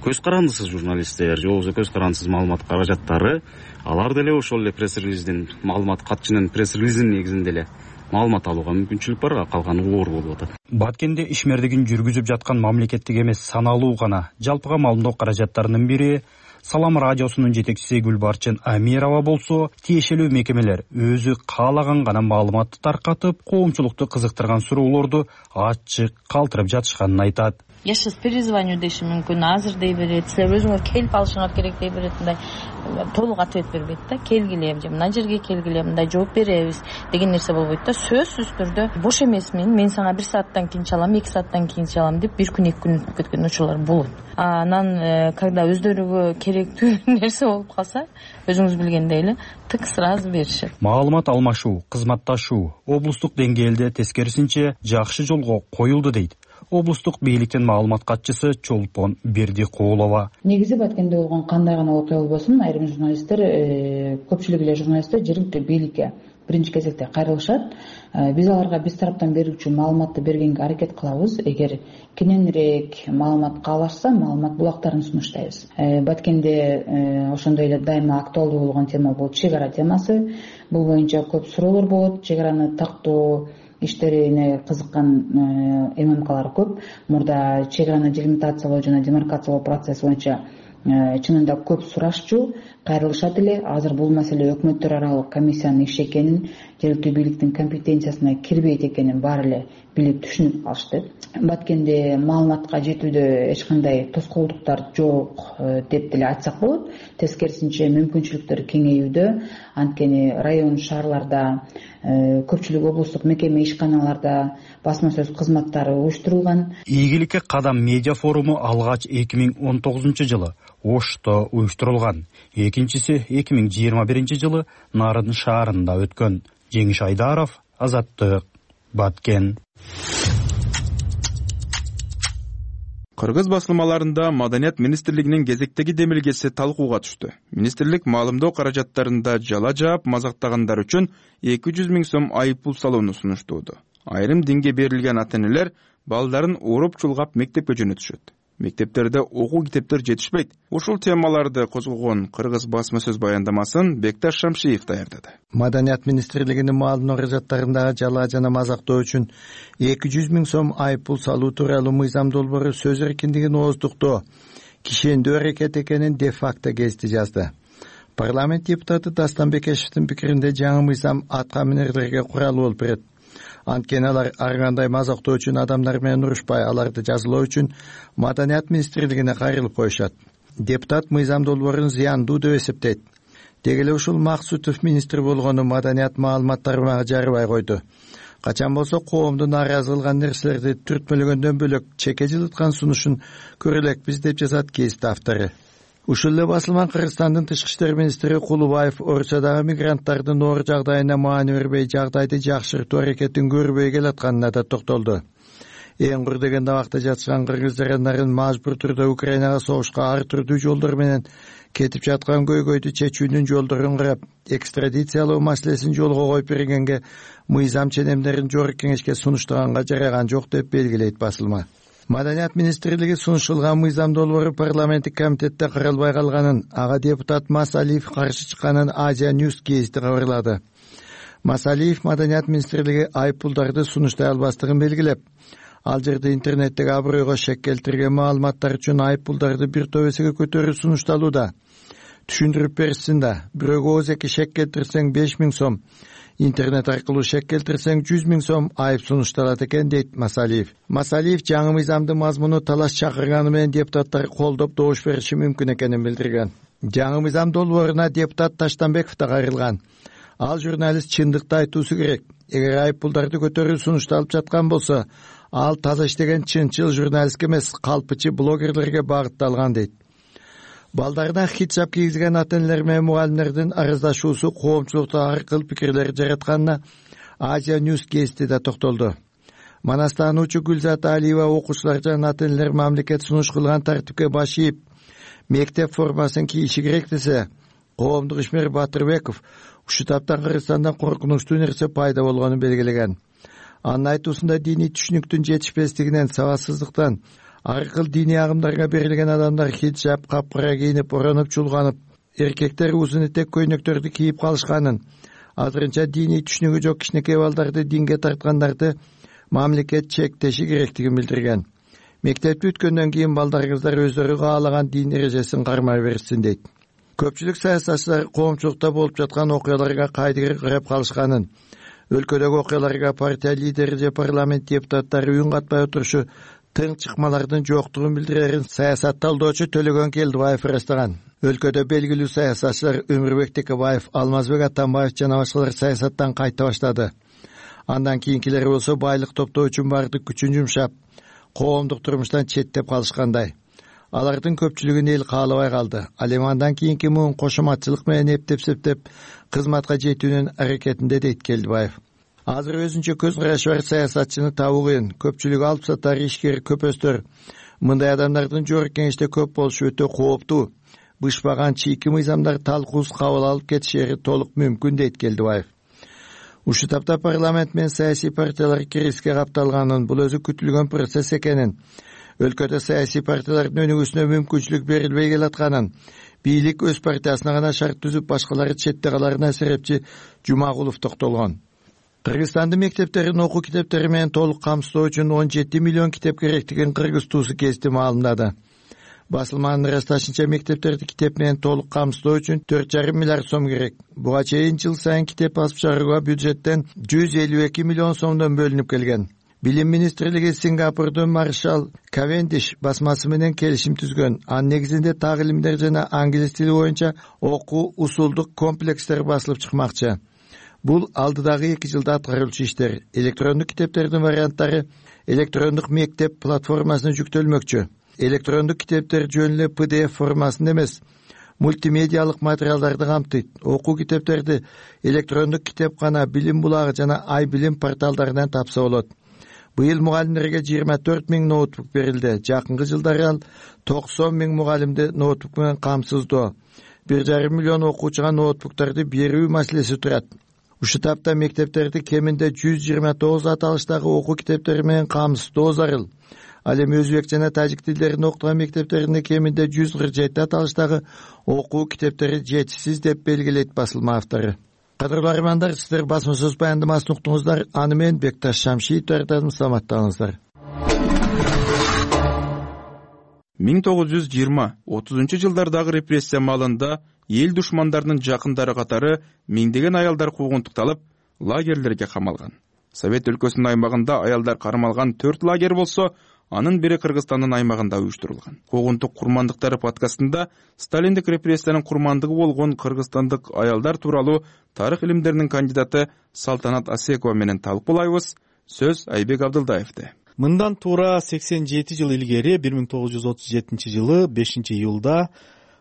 Көз карандысыз журналисттер же болбосо көз карандысыз маалымат каражаттары алар деле ошол эле пресс-релиздин маалымат катчынын пресс-релиздин негизинде эле маалымат алууга мүмкүнчүлүк бар, калганы оор болуп атат. Баткенде ишмердигин жүргүзүп жаткан мамлекеттик эмес саналуу гана жалпыга маалымдоо каражаттарынын бири Салам радиосунун жетекчиси Гүлбарчын Амирова болсо, тиешелүү мекемелер өзү каалаган гана маалыматты таркатып, коомчулукту кызыктырган суроолорду ачык калтырып жатышканын айтат. Я сейчас перезвоню деши мүмкүн, азыр дей берет, силер өзүңөр келип алышыңар керек дей берет, мындай толук ответ бербейт да, келгиле, же мына жерге келгиле, мындай жооп беребиз деген нерсе болбойт да. Сөзсүз түрдө бош эмесмин, мен сага бир сааттан кийин чалам, эки сааттан кийин чалам деп бир күн эки күн өтүп кеткен учурлар болот. Анан когда өздөрүгө керектүү нерсе болуп калса, өзүңүз билгендей эле тык сразу беришет. Маалымат алмашуу, кызматташуу облустук деңгээлде тескерисинче жакшы жолго коюлду дейт облустук бийликтин маалымат катчысы Чолпон Бердикулова. Негизи Баткенде болгон кандай гана окуя болбосун, айрым журналисттер, көпчүлүк эле журналисттер жергиликтүү бийликке биринчи кезекте кайрылышат. Биз аларга биз тараптан берүүчү маалыматты бергенге аракет кылабыз. Эгер кененирээк маалымат каалашса, маалымат булактарын сунуштайбыз. Баткенде ошондой эле дайыма актуалдуу болгон тема бул чек ара темасы. Бул боюнча көп суроолор болот. Чек араны тактоо иштерине кызыккан ММКлар көп. Мурда чек араны делимитациялоо жана демаркациялоо процесси боюнча чынында көп сурашчу, кайрылышат эле. Азыр бул маселе өкмөттөр аралык комиссиянын иши экенин, жергиликтүү бийликтин компетенциясына кирбейт экенин баары эле билип түшүнүп алышты. Баткенде маалыматка жетүүдө эч кандай тоскоолдуктар жок деп деле айтсак болот. Тескерисинче мүмкүнчүлүктөр кеңеюдө. Анткени район шаарларда, көпчүлүк облустук мекеме ишканаларда басма сөз кызматтары уюштурулган. Ийгиликке кадам медиа форуму алгач эки миң он тогузунчу жылы Ошто уюштурулган. Экинчиси эки миң жыйырма биринчи жылы Нарын шаарында өткөн. Жеңиш Айдаров, Азаттык, Баткен. Кыргыз басылмаларында Маданият министрлигинин кезектеги демилгеси талкууга түштү. Министрлик маалымдоо каражаттарында жала жаап мазактагандар үчүн эки жүз миң сом айыппул салууну сунуштууда. Айрым динге берилген ата-энелер балдарын уруп чулгап мектепке жөнөтүшөт. Мектептерде окуу китептер жетишпейт. Ушул темаларды козгогон Кыргыз басма сөз баяндамасын Бекташ Шамшиев даярдады. Маданият министрлигинин маалымдоо каражаттарындагы жала жана мазактоо үчүн эки жүз миң сом айыппул салуу тууралуу мыйзам долбоору сөз эркиндигин ооздуктоо кишендүү аракет экенин де факто гезити жазды. Парламент депутаты Дастан Бекешевдин пикиринде жаңы мыйзам атка минерлерге курал болуп берет. Анткени алар ар кандай мазактоо үчүн адамдар менен урушпай, аларды жазалоо үчүн Маданият министрлигине кайрылып коюшат. Депутат мыйзам долбоорун зыяндуу деп эсептейт. Деги эле ушул Максутов министр болгону Маданият маалымат тармагы жарыбай койду. Качан болсо коомду нааразы кылган нерселерди түртмөлөгөндөн бөлөк чеке жылыткан сунушун көрө элекпиз деп жазат кесип автору. Ушул эле басылман Кыргызстандын тышкы иштер министри Кулубаев Орусиядагы мигранттардын оор жагдайына маани бербей, жагдайды жакшыртуу аракетин көрбөй келатканына да токтолду. Эң кур дегенде абакта жатышкан кыргыз жарандарын мажбур түрдө Украинага согушка ар түрдүү жолдор менен кетип жаткан көйгөйдү чечүүнүн жолдорун карап, экстрадициялоо маселесин жолго коюп бергенге мыйзам ченемдерин жогорку кеңешке сунуштаганга жараган жок деп белгилейт басылма. Маданият министрлиги сунушталган мыйзам долбоору парламенттик комитетте каралбай калганын, ага депутат Масалиев каршы чыкканын Азия Ньюс гезити кабарлады. Масалиев Маданият министрлиги айыппулдарды сунуштай албастыгын белгилеп, ал жерде интернеттеги абройго шек келтирген маалыматтар үчүн айыппулдарды бир топ эсеге көтөрүү сунушталууда. Түшүндүрүп берсин да, бирөөгө өз эки шек келтирсең беш миң сом, интернет аркылуу шек келтирсең жүз миң сом айып сунушталат экен, дейт Масалиев. Масалиев жаңы мыйзамдын мазмуну талаш чакырганы менен депутаттар колдоп добуш бериши мүмкүн экенин билдирген. Жаңы мыйзам долбооруна депутат Таштанбеков да кайрылган. Ал журналист чындыкты айтуусу керек. Эгер айыппулдарды көтөрүү сунушталып жаткан болсо, ал таза иштеген чынчыл журналистке эмес, калпычы блогерлерге багытталган, дейт. Балдарына хиджаб кийгизген ата-энелер менен мугалимдердин арыздашуусу коомчулукта ар кыл пикирлер жаратканына Азия Ньюс гезити да токтолду. Манастануучу Гүлзат Алиева окуучулар жана ата-энелер мамлекет сунуш кылган тартипке баш ийип, мектеп формасын кийиши керек десе, коомдук ишмер Батырбеков ушул таптан Кыргызстанда коркунучтуу нерсе пайда болгонун белгилеген. Анын айтуусунда диний түшүнүктүн жетишпестигинен, сабатсыздыктан ар кыл диний агымдарга берилген адамдар хиджаб, капкара кийинип, оронуп чулганып, эркектер узун этек көйнөктөрдү кийип калышканын, азырынча диний түшүнүгү жок кичинекей балдарды динге тарткандарды мамлекет чектеши керектигин билдирген. Мектепти бүткөндөн кийин балдарыңыздар өздөрү каалаган дин эрежесин кармай берсин, дейт. Көпчүлүк саясатчылар коомчулукта болуп жаткан окуяларга кайдыгер карап калышканын, өлкөдөгү окуяларга партия лидери же парламент депутаттары үн катпай отурушу тың чыкмалардын жоктугун билдирерин саясат талдоочу Төлөгөн Келдибаев ырастаган. Өлкөдө белгилүү саясатчылар Өмүрбек Текебаев, Алмазбек Атамбаев жана башкалар саясаттан кайта баштады. Андан кийинкилери болсо байлык топтоо үчүн бардык күчүн жумшап, коомдук турмуштан четтеп калышкандай. Алардын көпчүлүгүн эл каалабай калды. Ал эми андан кийинки муун кошоматчылык менен эптеп-септеп кызматка жетүүнүн аракетинде, дейт Келдибаев. Азыр өзүнчө көз карашы бар саясатчыны табуу кыйын. Көпчүлүгү алып сатар, ишкер, көпөстөр. Мындай адамдардын жогорку кеңеште көп болушу өтө кооптуу. Бышпаган чийки мыйзамдар талкуусуз кабыл алып кетишери толук мүмкүн, дейт Келдибаев. Ушул тапта парламент менен саясий партиялар кириске капталганын, бул өзү күтүлгөн процесс экенин, өлкөдө саясий партиялардын өнүгүүсүнө мүмкүнчүлүк берилбей келатканын, бийлик өз партиясына гана шарт түзүп, башкалары четте каларына серепчи Жумагулов токтолгон. Кыргызстандын мектептерин окуу китептери менен толук камсыздоо үчүн он жети миллион китеп керектигин Кыргыз туусу гезити маалымдады. Басылманын ырасташынча, мектептерди китеп менен толук камсыздоо үчүн төрт жарым миллиард сом керек. Буга чейин жыл сайын китеп басып чыгарууга бюджеттен жүз элүү эки миллион сомдон бөлүнүп келген. Билим министрлиги Сингапурдун Маршал Кавендиш басмасы менен келишим түзгөн. Анын негизинде тагилимдер жана англис тили боюнча окуу усулдук комплекстер басылып чыкмакчы. Бул алдыдагы эки жылда аткарылчу иштер. Электрондук китептердин варианттары электрондук мектеп платформасына жүктөлмөкчү. Электрондук китептер жөн эле пи ди эф формасында эмес, мультимедиалык материалдарды камтыйт. Окуу китептерди электрондук китепкана, Билим булагы жана Ай билим порталдарынан тапса болот. Быйыл мугалимдерге жыйырма төрт миң ноутбук берилди. Жакынкы жылдары ал токсон миң мугалимди ноутбук менен камсыздоо. бир жарым миллион окуучуга ноутбуктарды берүү маселеси турат. Ушул тапта мектептерди кеминде жүз жыйырма тогуз аталыштагы окуу китептери менен камсыздоо зарыл. Ал эми өзбек жана тажик тилдерин окутган мектептеринде кеминде жүз кырк жети аталыштагы окуу китептери жетишсиз деп белгилейт басылма автору. Кадырлуу армандар, сиздер басма сөз баяндамасын уктуңуздар. Аны мен Бекташ Шамшиев тартам. Саламаттаңыздар. миң тогуз жүз жыйырма отузунчу жылдардагы репрессия маалында эл душмандарынын жакындары катары миңдеген аялдар куугунтукталып, лагерлерге камалган. Совет өлкөсүнүн аймагында аялдар кармалган төрт лагерь болсо, анын бири Кыргызстандын аймагында уюштурулган. Куугунтук курмандыктары подкастында сталиндик репрессиянын курмандыгы болгон кыргызстандык аялдар тууралуу тарых илимдеринин кандидаты Салтанат Асекова менен талкуулайбыз. Сөз Айбек Абдылдаевде. Мындан туура сексен жети жыл илгери бир миң тогуз жүз отуз жетинчи жылы бешинчи июлда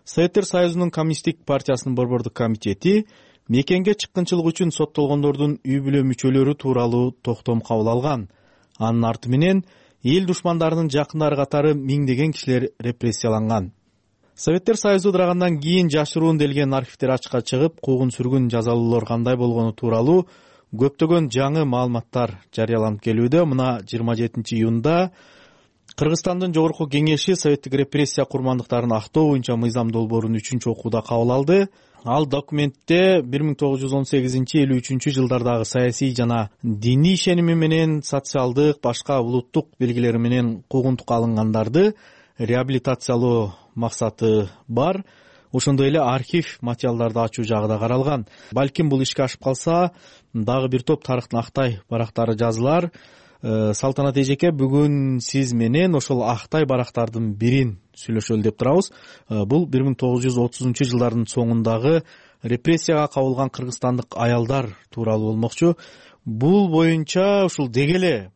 Советтер Союзунун Коммунисттик партиясынын борбордук комитети мекенге чыккынчылык үчүн соттолгондордун үй бүлө мүчөлөрү тууралуу токтом кабыл алган. Анын арты менен эл душмандарынын жакындары катары миңдеген кишилер репрессияланган. Советтер Союзу ыдырагандан кийин жашыруун делген архивдер ачыкка чыгып, куугун-сүргүн жазалуулар кандай болгону тууралуу көптөгөн жаңы маалыматтар жарыяланып келүүдө. Мына жыйырма жетинчи июнда Кыргызстандын Жогорку Кеңеши советтик репрессия курмандыктарын актоо боюнча мыйзам долбоорун үчүнчү окууда кабыл алды. Ал документте бир миң тогуз жүз он сегизинчи элүү үчүнчү жылдардагы саясий жана диний ишеними менен социалдык башка улуттук белгилери менен куугунтукка алынгандарды реабилитациялоо максаты бар. Ошондой эле архив материалдарды ачуу жагы да каралган. Балким бул ишке ашып калса, дагы бир топ тарыхтын актай барактары жазылар. Салтанат эжеке, бүгүн сиз менен ошол актай барактардын бирин сүйлөшөлү деп турабыз. Бул бир миң тогуз жүз отузунчу жылдардын соңундагы репрессияга кабылган кыргызстандык аялдар тууралуу болмокчу. Бул боюнча ушул деги эле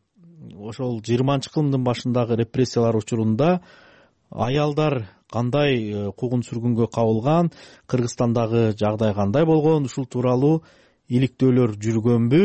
ошол жыйырманчы кылымдын башындагы репрессиялар учурунда аялдар кандай куугун-сүргүнгө кабылган, Кыргызстандагы жагдай кандай болгон, ушул тууралуу иликтөөлөр жүргөнбү?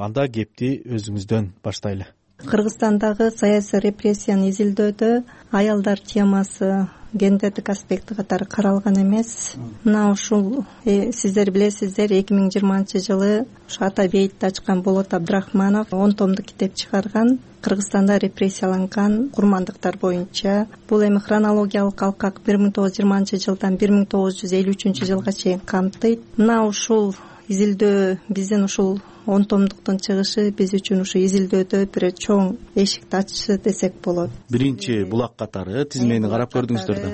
Анда кепти өзүңүздөн баштайлы. Кыргызстандагы саясий репрессияны изилдөөдө аялдар темасы гендердик аспекти катары каралган эмес. Мына ушул сиздер билесиздер, эки миң жыйырманчы жылы ушу Ата бейитти ачкан Болот Абдрахманов он томдук китеп чыгарган. Кыргызстанда репрессияланган курмандыктар боюнча. Бул эми хронологиялык алкак бир миң тогуз жүз жыйырманчы жылдан бир миң тогуз жүз элүү үчүнчү жылга чейин камтыйт. Мына ушул изилдөө биздин ушул он томдуктун чыгышы биз үчүн ушу изилдөөдө бир чоң эшикти ачышы десек болот. Биринчи булак катары тизмени карап көрдүңүздөр да.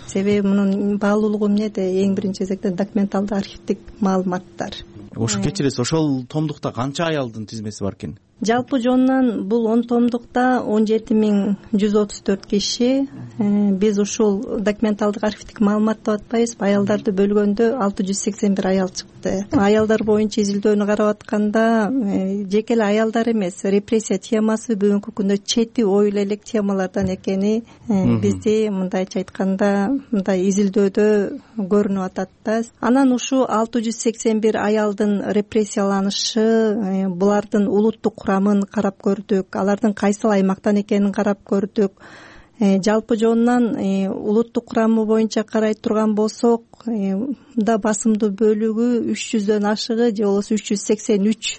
Себеби мунун баалуулугу эмнеде? Эң биринчи кезекте документалдык архивдик маалыматтар. Ошо кечиресиз, ошол томдукта канча аялдын тизмеси бар экен? Жалпы жонунан бул он томдукта он жети миң жүз отуз төрт киши. Биз ушул документалдык архивдик маалымат деп атпайбызбы? Аялдарды бөлгөндө алты жүз сексен бир аял чыкты. Аялдар боюнча изилдөөнү карап атканда жеке эле аялдар эмес, репрессия темасы бүгүнкү күндө чети оюла элек темалардан экени бизди мындайча айтканда мындай изилдөөдө көрүнүп атат да. Анан ушу алты жүз сексен бир аялдын репрессияланышы, булардын улуттук курамын карап көрдүк, алардын кайсыл аймактан экенин карап көрдүк. Жалпы жонунан улуттук курамы боюнча карай турган болсок, да басымдуу бөлүгү үч жүздөн ашыгы же болбосо үч жүз сексен үч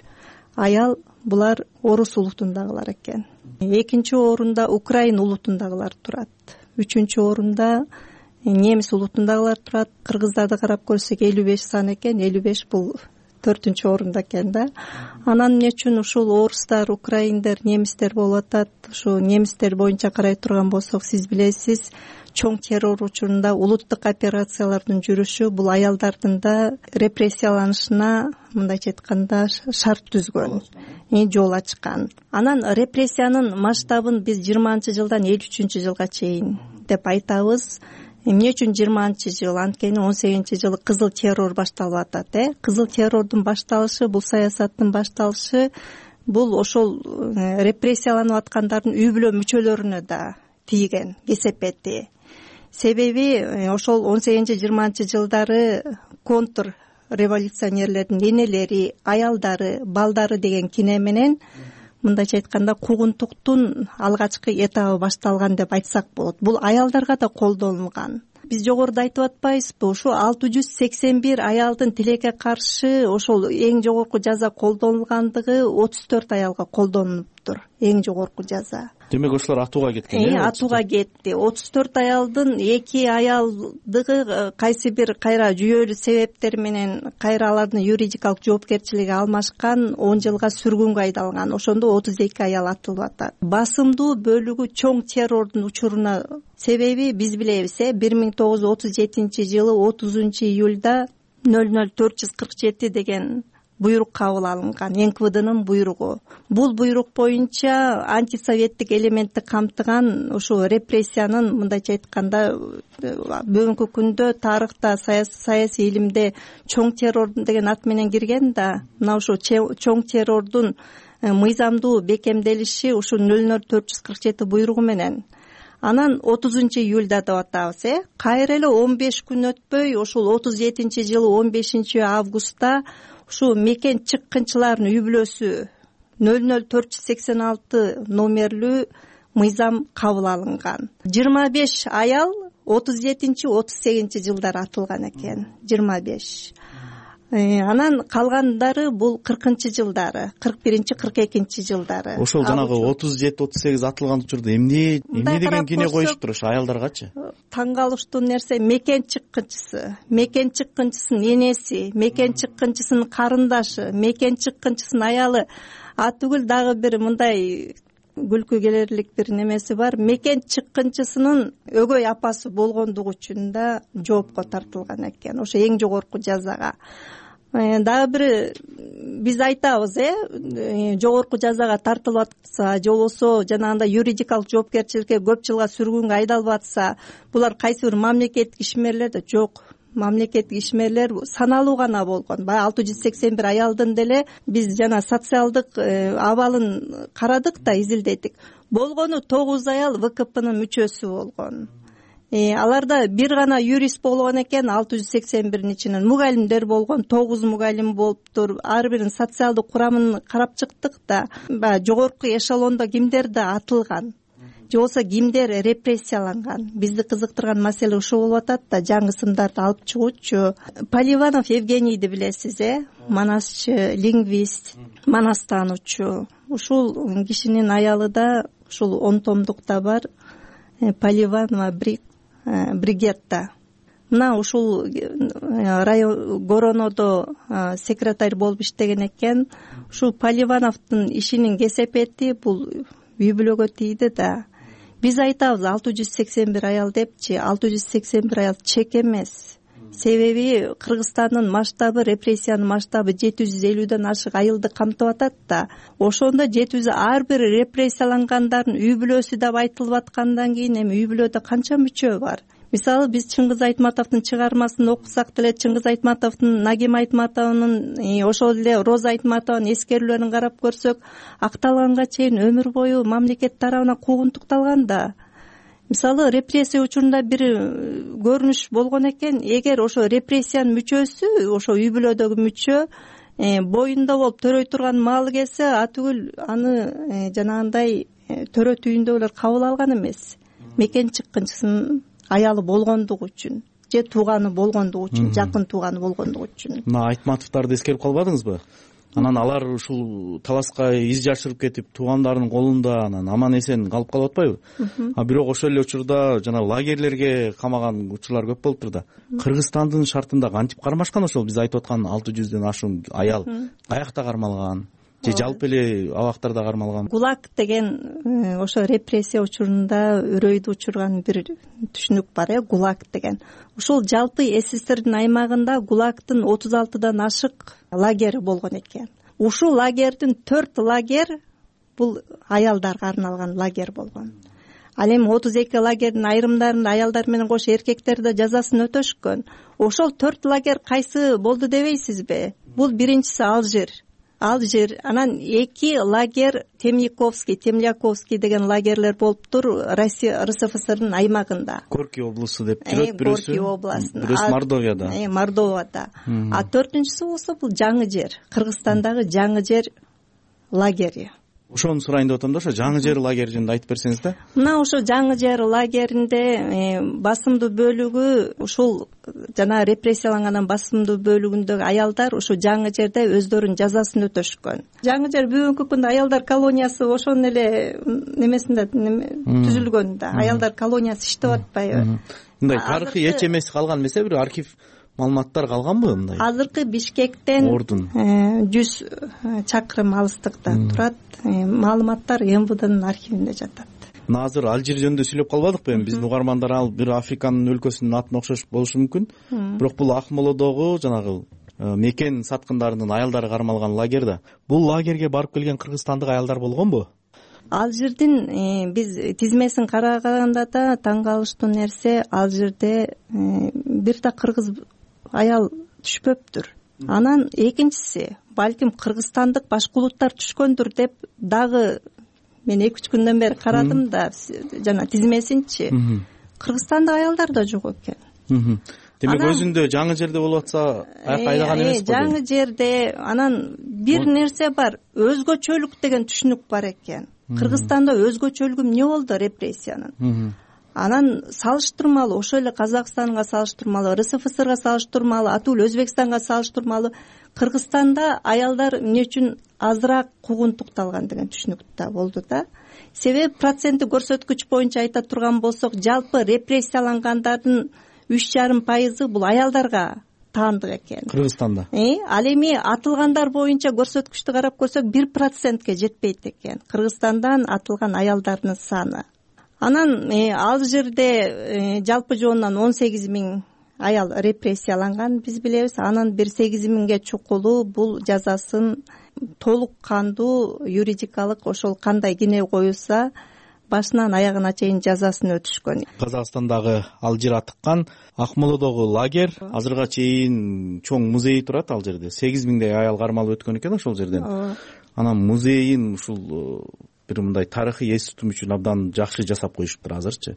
аял булар орус улутундагылар экен. Экинчи орунда Украин улутундагылар турат. Үчүнчү орунда немис улутундагылар турат. Кыргыздарды карап көрсөк элүү беш сан экен. элүү беш бул төртүнчү орунда экен да. Анан эмне үчүн ушул орустар, украиндер, немистер болуп атат? Ушу немистер боюнча карай турган болсок, сиз билесиз, чоң террор учурунда улуттук операциялардын жүрүшү бул аялдардын да репрессияланышына мындайча айтканда шарт түзгөн, жол ачкан. Анан репрессиянын масштабын биз жыйырманчы жылдан элүү үчүнчү жылга чейин деп айтабыз. Эмне үчүн жыйырманчы жыл? Анткени он сегизинчи жылы кызыл террор башталып атат, э? Кызыл террордун башталышы, бул саясаттын башталышы, бул ошол репрессияланып аткандардын үй бүлө мүчөлөрүнө да тийген кесепети. Себеби ошол он сегизинчи жыйырманчы жылдары контр революционерлердин энелери, аялдары, балдары деген кине менен мындайча айтканда куугунтуктун алгачкы этабы башталган деп айтсак болот. Бул аялдарга да колдонулган. Биз жогоруда айтып атпайбызбы? Ушу алты жүз сексен бир аялдын тилекке каршы ошол эң жогорку жаза колдонулгандыгы отуз төрт аялга колдонулуптур. Эң жогорку жаза. Демек ошолор атууга кеткен, э? Атууга кетти. отуз төрт аялдын эки аялдыгы кайсы бир кайра жүйөлүү себептер менен кайра алардын юридикалык жоопкерчилиги алмашкан, он жылга сүргүнгө айдалган. Ошондо отуз эки аял атылып атат. Басымдуу бөлүгү чоң террордун учуруна. Себеби биз билебиз, э, бир миң тогуз жүз отуз жетинчи жылы отузунчу июлда нөл нөл төрт жүз кырк жети деген буйрук кабыл алынган, эн ка вэ днын буйругу. Бул буйрук боюнча антисоветтик элементти камтыган ушул репрессиянын, мындайча айтканда, бүгүнкү күндө тарыхта, саясий илимде чоң террор деген ат менен кирген да, мына ушул чоң террордун мыйзамдуу бекемделиши ушул нөл нөл төрт жүз кырк жети буйругу менен. Анан отузунчу июльда деп атабыз, э кайра эле он беш күн өтпөй, ушул отуз жетинчи жылы он бешинчи августта ушул мекен чыккынчылардын үй бүлөсү нөл нөл төрт жүз сексен алты номерлүү мыйзам кабыл алынган. жыйырма беш аял отуз жетинчи отуз сегизинчи жылдары атылган экен. жыйырма беш. Анан калгандары бул кыркынчы жылдары, кырк биринчи кырк экинчи жылдары. Ошол жанагы отуз жети отуз сегиз атылган учурда эмне эмне деген кийне коюшуптур ошо аялдаргачы? Таң калыштуу нерсе, мекен чыккынчысы, мекен чыккынчысынын энеси, мекен чыккынчысынын карындашы, мекен чыккынчысынын аялы. А түгүл дагы бир мындай күлкү келерлик бир немеси бар. Мекен чыккынчысынын өгөй апасы болгондугу үчүн да жоопко тартылган экен. Ошо эң жогорку жазага. Дагы бир биз айтабыз, э жогорку жазага тартылып атса, же болбосо жанагындай юридикалык жоопкерчиликке көп жылга сүргүнгө айдалып атса, булар кайсы бир мамлекеттик ишмерлер да жок. Мамлекеттик ишмерлер саналуу гана болгон. Баягы алты жүз сексен бир аялдын деле биз жана социалдык абалын карадык да, изилдедик. Болгону тогуз аял вэ ка пнын мүчөсү болгон. Аларда бир гана юрист болгон экен, алты жүз сексен биринин ичинен мугалимдер болгон, тогуз мугалим болуптур. Ар биринин социалдык курамын карап чыктык да, баягы жогорку эшелондо кимдер да атылган, же болбосо кимдер репрессияланган. Бизди кызыктырган маселе ушул болуп атат да, жаңы сымдарды алып чыгуучу. Поливанов Евгенийди билесиз, э манасчы, лингвист, манастануучу. Ушул кишинин аялы да ушул он томдукта бар, Поливанова Бригетта. Мына ушул район Горонодо секретарь болуп иштеген экен. Ушул Поливановдун ишинин кесепети бул үй бүлөгө тийди да. Биз айтабыз алты жүз сексен бир аял депчи, алты жүз сексен бир аял чек эмес. Себеби Кыргызстандын масштабы, репрессиянын масштабы жети жүз элүүдөн ашык айылды камтып атат да. Ошондо жети жүз ар бир репрессиялангандардын үй бүлөсү деп айтылып аткандан кийин эми үй бүлөдө канча мүчө бар? Мисалы биз Чыңгыз Айтматовдун чыгармасын окусак деле, Чыңгыз Айтматовдун, Нагим Айтматовдун, ошол эле Роза Айтматованын эскерүүлөрүн карап көрсөк, акталганга чейин өмүр бою мамлекет тарабынан куугунтукталган да. Мисалы репрессия учурунда бир көрүнүш болгон экен, эгер ошо репрессиянын мүчөсү, ошо үй бүлөдөгү мүчө боюнда болуп төрөй турган маалы келсе, а түгүл аны жанагындай төрөт үйүндө эле кабыл алган эмес. Мекен чыккынчысынын аялы болгондугу үчүн, же тууганы болгондугу үчүн, жакын тууганы болгондугу үчүн. Мына Айтматовдорду эскерип калбадыңызбы? Анан алар ушул таласка из жашырып кетип, туугандарынын колунда анан аман эсен калып калып атпайбы? А бирок ошол эле учурда жана лагерлерге камаган учурлар көп болуптур да. Кыргызстандын шартында кантип кармашкан ошол биз айтып аткан алты жүздөн ашуун аял? Каякта кармалган? Же жалпы эле абактарда кармалган? ГУЛАГ деген ошо репрессия учурунда үрөйдү учурган бир түшүнүк бар, э ГУЛАГ деген. Ушул жалпы СССРдин аймагында ГУЛАГдын отуз алтыдан ашык лагери болгон экен. Ушул лагердин төрт лагер бул аялдарга арналган лагер болгон. Ал эми отуз эки лагердин айрымдарында аялдар менен кошо эркектер да жазасын өтөшкөн. Ошол төрт лагер кайсы болду дебейсизби? Бул биринчиси Алжир. Алжир, анан эки лагер Темниковский, Темляковский деген лагерлер болуптур Россия РСФСРдын аймагында. Горки облусу деп жүрөт бирөөсү. Горки областында. Бирөөсү Мордовияда. Э, Мордовияда. А төртүнчүсү болсо бул Жаңы жер, Кыргызстандагы Жаңы жер лагери. Ошону сурайын деп атам да, ошо Жаңы жер лагери жөнүндө айтып берсеңиз да. Мына ошо Жаңы жер лагеринде басымдуу бөлүгү ушул жана репрессиялангандан басымдуу бөлүгүндөгү аялдар ушу Жаңы жерде өздөрүнүн жазасын өтөшкөн. Жаңы жер бүгүнкү күндө аялдар колониясы ошонун эле немесинде түзүлгөн да. Аялдар колониясы иштеп атпайбы? Мындай тарыхый эч эмеси калган эмесе, бир архив маалыматтар калганбы мындай? Азыркы Бишкектен жүз чакырым алыстыкта турат. Маалыматтар эм вэ днын архивинде жатат. Мына азыр Алжир жөнүндө сүйлөп калбадыкпы эми? Биздин угармандар ал бир Африканын өлкөсүнүн атын окшош болушу мүмкүн. Бирок бул Акмолодогу жанагы мекен саткындарынын аялдары кармалган лагерь да. Бул лагерге барып келген кыргызстандык аялдар болгонбу? Ал жердин биз тизмесин караганда да таң калыштуу нерсе, ал жерде бир да кыргыз аял түшпөптүр. Анан экинчиси, балким кыргызстандык башка улуттар түшкөндүр деп дагы мен эки үч күндөн бери карадым да жана тизмесинчи. Кыргызстандык аялдар да жок экен. Демек өзүндө жаңы жерде болуп атса аяка айдаган эмес го? Жаңы жерде анан бир нерсе бар, өзгөчөлүк деген түшүнүк бар экен. Кыргызстанда өзгөчөлүгү эмне болду репрессиянын? Анан салыштырмалуу ошол эле Казакстанга салыштырмалуу, РСФСРга салыштырмалуу, атул Өзбекстанга салыштырмалуу Кыргызстанда аялдар эмне үчүн азыраак куугунтукталган деген түшүнүк да болду да. Себеби проценттик көрсөткүч боюнча айта турган болсок, жалпы репрессиялангандардын үч жарым пайызы бул аялдарга таандык экен Кыргызстанда. Ал эми атылгандар боюнча көрсөткүчтү карап көрсөк бир процентке жетпейт экен Кыргызстандан атылган аялдардын саны. Анан ал жерде жалпы жоонунан он сегиз миң аял репрессияланган биз билебиз. Анан бир сегиз миңге чукулу бул жазасын толук кандуу юридикалык ошол кандай кине коюлса башынан аягына чейин жазасын өтүшкөн. Казакстандагы Алжир атыккан Акмоладагы лагерь азырга чейин чоң музей турат ал жерде. сегиз миңдей аял кармалып өткөн экен ошол жерден. Анан музейин ушул бир мындай тарыхый эс тутум үчүн абдан жакшы жасап коюшуптур азырчы.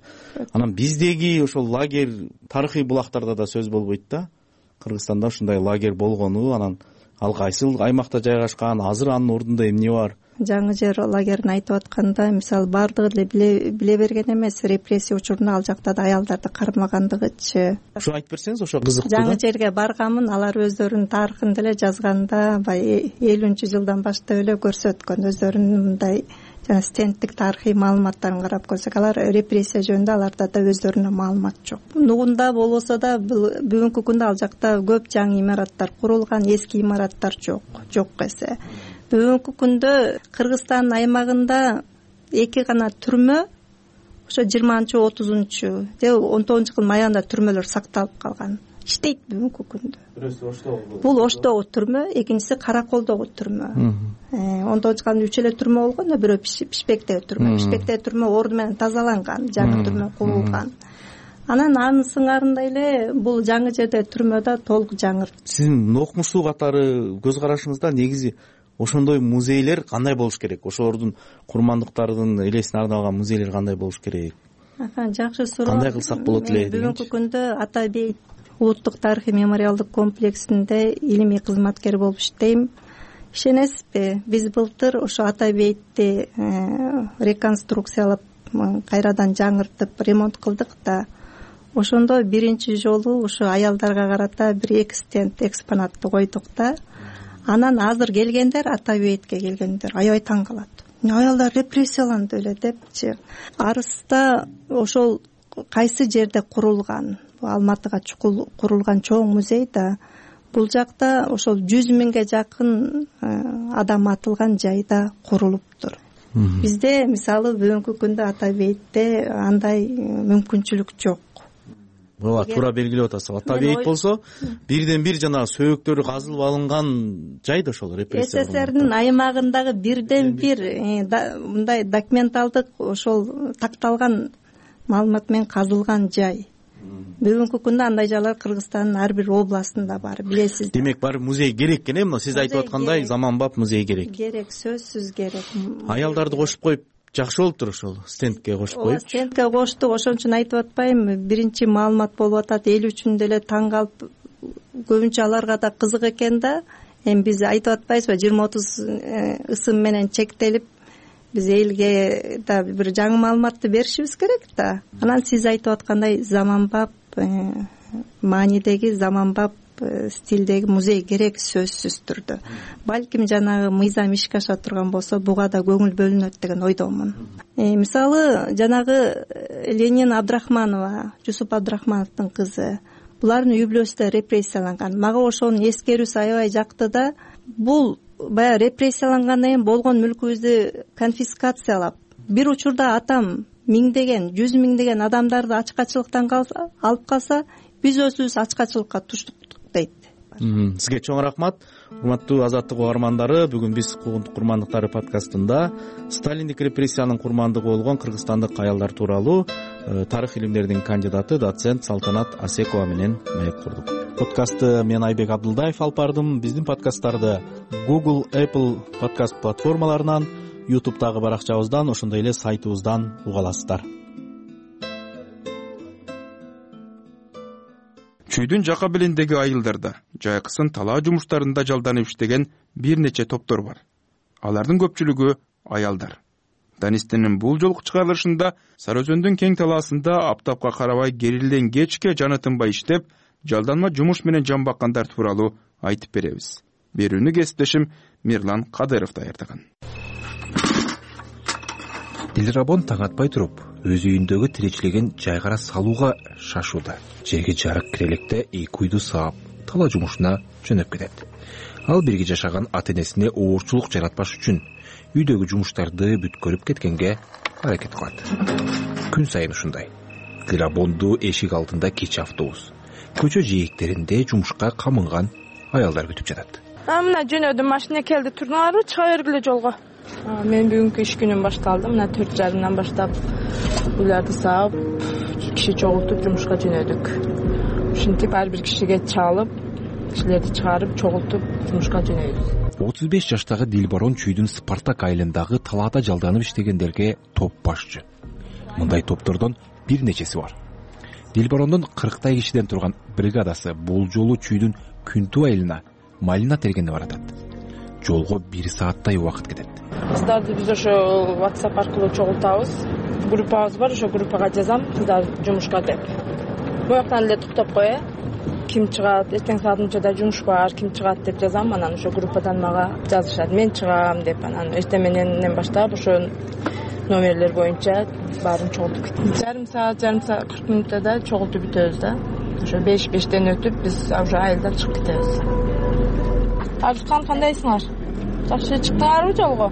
Анан биздеги ошол лагерь тарыхый булактарда да сөз болбойт да. Кыргызстанда ушундай лагерь болгону, анан ал кайсыл аймакта жайгашкан, азыр анын ордунда эмне бар? Жаңы жер лагерин айтып атканда, мисалы бардыгы эле биле берген эмес, репрессия учурунда ал жакта да аялдарды кармагандыгычы. Ушу айтып берсеңиз, ошо кызыктуу да. Жаңы жерге барганмын, алар өздөрүнүн тарыхын деле жазганда, баягы элүүнчү жылдан баштап эле көрсөткөн өздөрүнүн мындай жана стендтик тарыхый маалыматтарын карап көрсөк, алар репрессия жөнүндө аларда да өздөрүнө маалымат жок. Нугунда болбосо да бүгүнкү күндө ал жакта көп жаңы имараттар курулган, эски имараттар жок, жок эсе. Бүгүнкү күндө Кыргызстандын аймагында эки гана түрмө, ошо жыйырманчы отузунчу же он тогузунчу жылдын аягында түрмөлөр сакталып калган. Иштейт бүгүнкү күндө. Бирөөсү Оштогу. Бул Оштогу түрмө, экинчиси Караколдогу түрмө. он тогузунчу жылдын үч эле түрмө болгон, бирөө Пишпектеги түрмө. Пишпектеги түрмө орду менен тазаланган, жаңы түрмө курулган. Анан анын сыңарында эле бул жаңы жерде түрмө да толук жаңы. Сиздин окумуштуу катары көз карашыңызда негизи ошондой музейлер кандай болуш керек? Ошолордун курмандыктарынын элесине арналган музейлер кандай болуш керек? Жакшы суроо. Кандай кылсак болот эле? Бүгүнкү күндө Ата бейит улуттук тарыхый мемориалдык комплексинде илимий кызматкер болуп иштейм. Ишенесизби, биз былтыр ошо Ата бейтти реконструкциялап кайрадан жаңыртып ремонт кылдык да. Ошондо биринчи жолу ошо аялдарга карата бир эки стенд экспонатты койдук да. Анан азыр келгендер, Ата бейтке келгендер аябай таң калат. Аялдар репрессияланды эле депчи. Арыста ошол кайсы жерде курулган? Алматыга курулган чоң музей да. Бул жакта ошол жүз миңге жакын адам атылган жайда курулуптур. Бизде мисалы бүгүнкү күндө Ата бейтте андай мүмкүнчүлүк жок. Ооба, туура белгилеп атасыз. Ата бейит болсо бирден бир жана сөөктөрү казылып алынган жай да ошол репрессия. СССРдин аймагындагы бирден бир мындай документалдык ошол такталган маалымат менен казылган жай. Бүгүнкү күндө андай жайлар Кыргызстандын ар бир областында бар, билесиз. Демек бар музей керек экен, эмне сиз айтып аткандай заманбап музей керек. Керек, сөзсүз керек. Аялдарды кошуп коюп жакшы болуптур ошол стендке кошуп коюп. Стендке коштук, ошон үчүн айтып атпайм, биринчи маалымат болуп атат, эл үчүн деле таң калып, көбүнчө аларга да кызык экен да. Эми биз айтып атпайбызбы, жыйырма отуз ысым менен чектелип, биз элге да бир жаңы маалыматты беришибиз керек да. Анан сиз айтып аткандай заманбап маанидеги, заманбап стилдеги музей керек сөзсүз түрдө. Балким жанагы мыйзам ишке аша турган болсо, буга да көңүл бөлүнөт деген ойдомун. Мисалы, жанагы Ленин Абдрахманова, Жусуп Абдрахмановдун кызы, булардын үй бүлөсү репрессияланган. Мага ошонун эскерүүсү аябай жакты да. Бул баягы репрессиялангандан кийин болгон мүлкүбүздү конфискациялап, бир учурда атам миңдеген, жүз миңдеген адамдарды ачкачылыктан алып калса, биз өзүбүз ачкачылыкка туштук дейт. Сизге чоң рахмат. Урматтуу Азаттык угармандары, бүгүн биз Куугунтук курмандыктары подкастында Сталиндик репрессиянын курмандыгы болгон кыргызстандык аялдар тууралуу тарых илимдеринин кандидаты доцент Салтанат Асекова менен маек курдук. Подкастты мен Айбек Абдылдаев алып бардым. Биздин подкасттарды Google, Apple подкаст платформаларынан, YouTube'дагы баракчабыздан, ошондой эле сайтыбыздан уга аласыздар. Чүйдүн жака белиндеги айылдарда жайкысын талаа жумуштарында жалданып иштеген бир нече топтор бар. Алардын көпчүлүгү аялдар. Данистинин бул жолку чыгарылышында Сары Өзөндүн кең талаасында аптапка карабай керилден кечке жаны тынбай иштеп, жалданма жумуш менен жан баккандар тууралуу айтып беребиз. Берүүнү кесиптешим Мирлан Кадыров даярдаган. Дилрабон таң атпай туруп, өз үйүндөгү тиречилигин жайгара салууга шашууда. Жерге жарык кирелекте эки үйдү саап, талаа жумушуна жөнөп кетет. Ал бирге жашаган ата-энесине оорчулук жаратпаш үчүн үйдөгү жумуштарды бүткөрүп кеткенге аракет кылат. Күн сайын ушундай. Дилрабонду эшик алдында кечи автобус, көчө жээктеринде жумушка камынган аялдар күтүп жатат. Мына жөнөдүм, машина келди, турдуңарбы? Чыга бергиле жолго. Мен бүгүнкү иш күнүм башталды. Мына төрт жарымдан баштап үйлөрдү саап, киши чогултуп жумушка жөнөдүк. Ушинтип ар бир кишиге чалып, кишилерди чыгарып, чогултуп жумушка жөнөйбүз. отуз беш жаштагы Дилбарон Чүйдүн Спартак айылындагы талаада жалданып иштегендерге топ башчы. Мындай топтордон бир нечеси бар. Дилбарондун кырктай кишиден турган бригадасы бул жолу Чүйдүн Күнтүү айылына малина тергенге баратат. Жолго бир сааттай убакыт кетет. Кыздарды биз ошо WhatsApp аркылуу чогултабыз. Группабыз бар, ошо группага жазам, кыздар жумушка деп. Буяктан эле токтоп кой, ким чыгат, эртең саат мынчада жумуш бар, ким чыгат деп жазам, анан ошо группадан мага жазышат. Мен чыгам деп, анан эртең менен баштап ошо номерлер боюнча баарын чогултуп кетем. Жарым саат, жарым саат кырк мүнөттө чогултуп бүтөбүз да. Ошо беш бештен өтүп биз уже айылдан чыгып кетебиз. Арзыкан, кандайсыңар? Жакшы чыктыңарбы жолго?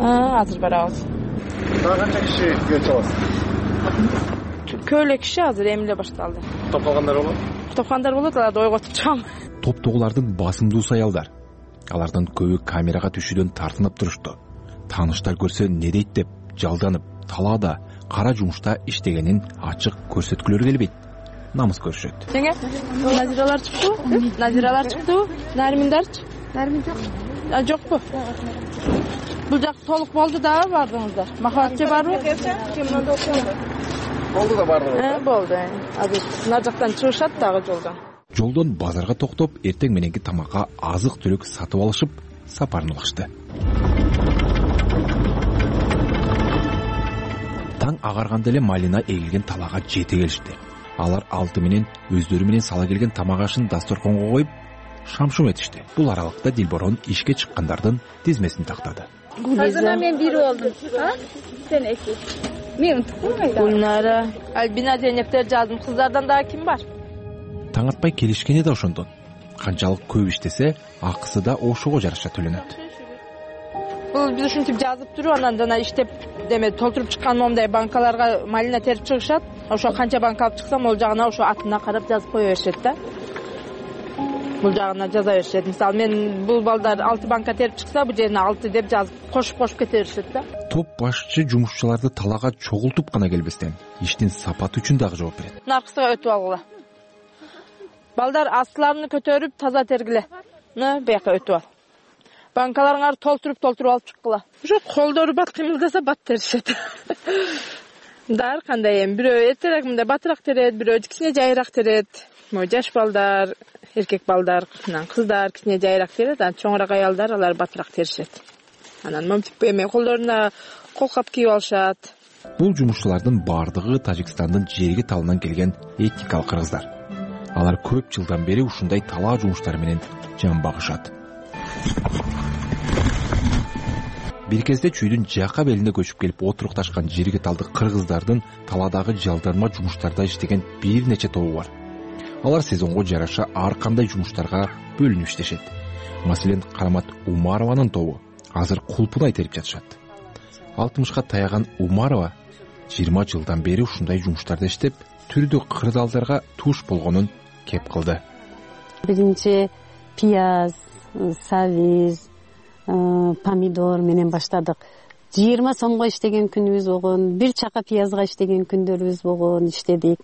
Азыр барабыз. Дагы канча киши күйө чыгасыз? Көп эле киши азыр эмиле башталды. Топ калгандар болот? Топ калгандар болот, аларды ойготуп чыгам. Топтогулардын басымдуусу аялдар. Алардын көбү камерага түшүүдөн тартынып турушту. Тааныштар көрсө не дейт деп жалданып, талаада кара жумушта иштегенин ачык көрсөткүлөрү келбейт. Намыс көрүшөт. Жеңе, Назиралар чыктыбы? Назиралар чыктыбы? Нарминдарчы? Нармин жок. А жокпу? Бул жак толук болду да, бардыңыздар. Махабатчы барбы? Кимде окуду? Болду да бардыңыз. Э, болду. Азыр нар жактан чыгышат дагы жолдон. Жолдон базарга токтоп, эртең мененки тамакка азык-түлүк сатып алышып, сапарын улашты. Таң агарганда эле малина эгилген талаага жете келишти. Алар алты менен өздөрү менен сала келген тамак ашын дасторконго коюп, шамшум этишти. Бул аралыкта Дилбарон ишке чыккандардын тизмесин тактады. Азыр мен бири болдум. А? Сен эки. Мен унутпайм. Гүлнара, Альбина Зейнептер жаздым. Кыздардан дагы ким бар? Таң атпай келишкени да ошондон. Канчалык көп иштесе, акысы да ошого жараша төлөнөт. Бул биз ушинтип жазып туруп, анан жана иштеп деме толтуруп чыккан момундай банкаларга малина терип чыгышат. Ошо канча банка алып чыксам, ол жагына ошо атына карап жазып кое беришет да. Бул жагына жаза беришет. Мисалы, мен бул балдар алты банка терип чыкса, бул жерине алты деп жазып кошуп-кошуп кете беришет да. Топ башчы жумушчуларды талаага чогултуп гана келбестен, иштин сапаты үчүн дагы жооп берет. Наркысыга өтүп алгыла. Балдар астыларını көтөрүп таза тергиле. Мына бияка өтүп ал. Банкаларыңарды толтуруп-толтуруп алып чыккыла. Ошо колдору бат кыймылдаса бат теришет. Дар кандай эми бирөө эртерээк мындай батыраак терет, бирөө кичине жайыраак терет. Могу жаш балдар, эркек балдар, кыздар кичине жайыраак терет, анан чоңураак аялдар алар батыраак теришет. Анан момтип эме колдоруна колкап кийип алышат. Бул жумушчулардын бардыгы Тажикстандын жерги талынан келген этникалык кыргыздар. Алар көп жылдан бери ушундай талаа жумуштары менен жан багышат. Бир кезде Чүйдүн жака белине көчүп келип отурукташкан жерге талдык кыргыздардын талаадагы жалданма жумуштарда иштеген бир нече тобу бар. Алар сезонго жараша ар кандай жумуштарга бөлүнүп иштешет. Маселен, Карамат Умарованын тобу азыр кулпунай терип жатышат. алтымышка таяган Умарова жыйырма жылдан бери ушундай жумуштарда иштеп, түрдүү кырдаалдарга туш болгонун кеп кылды. биринчи пияз, сабиз, помидор менен баштадык. жыйырма сомго иштеген күнүбүз болгон, бир чака пиязга иштеген күндөрүбүз болгон, иштедик.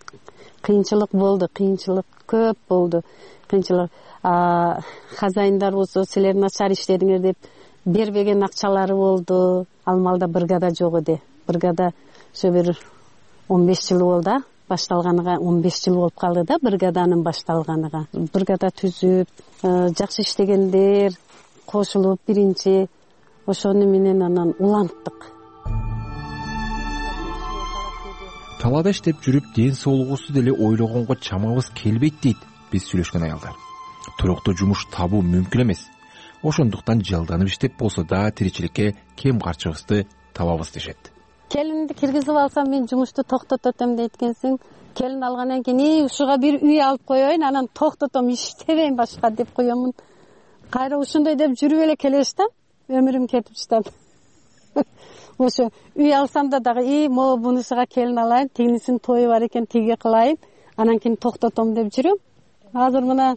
Кыйынчылык болду, кыйынчылык көп болду. Кыйынчылык хозяиндар болсо силер начар иштедиңер деп бербеген акчалары болду. Ал маалда бригада жок эди. Бригада ошо бир он беш жыл болду, башталганыга он беш жыл болуп калды да бригаданын башталганыга. Бригада түзүп, жакшы иштегендер кошулуп биринчи ошону менен анан уланттык. Талаада иштеп жүрүп, ден соолугубузду деле ойлогонго чамабыз келбейт дейт биз сүйлөшкөн аялдар. Туруктуу жумуш табуу мүмкүн эмес. Ошондуктан жалданып иштеп болсо да тиричиликке кем карчыбызды табабыз дешет. Келинди киргизип алсам мен жумушту токтототом дейт экенсиң. Келин алгандан кийин ушуга бир үй алып коеюн, анан токтотом, иштебейм башка деп коемун. Кайра ушундай деп жүрүп эле келеш да, өмүрүм кетип жатат. Ошо үй алсам да дагы и могу бунусуга келин алайын, тигинисинин тою бар экен, тиги кылайын, анан кийин токтотом деп жүрөм. Азыр мына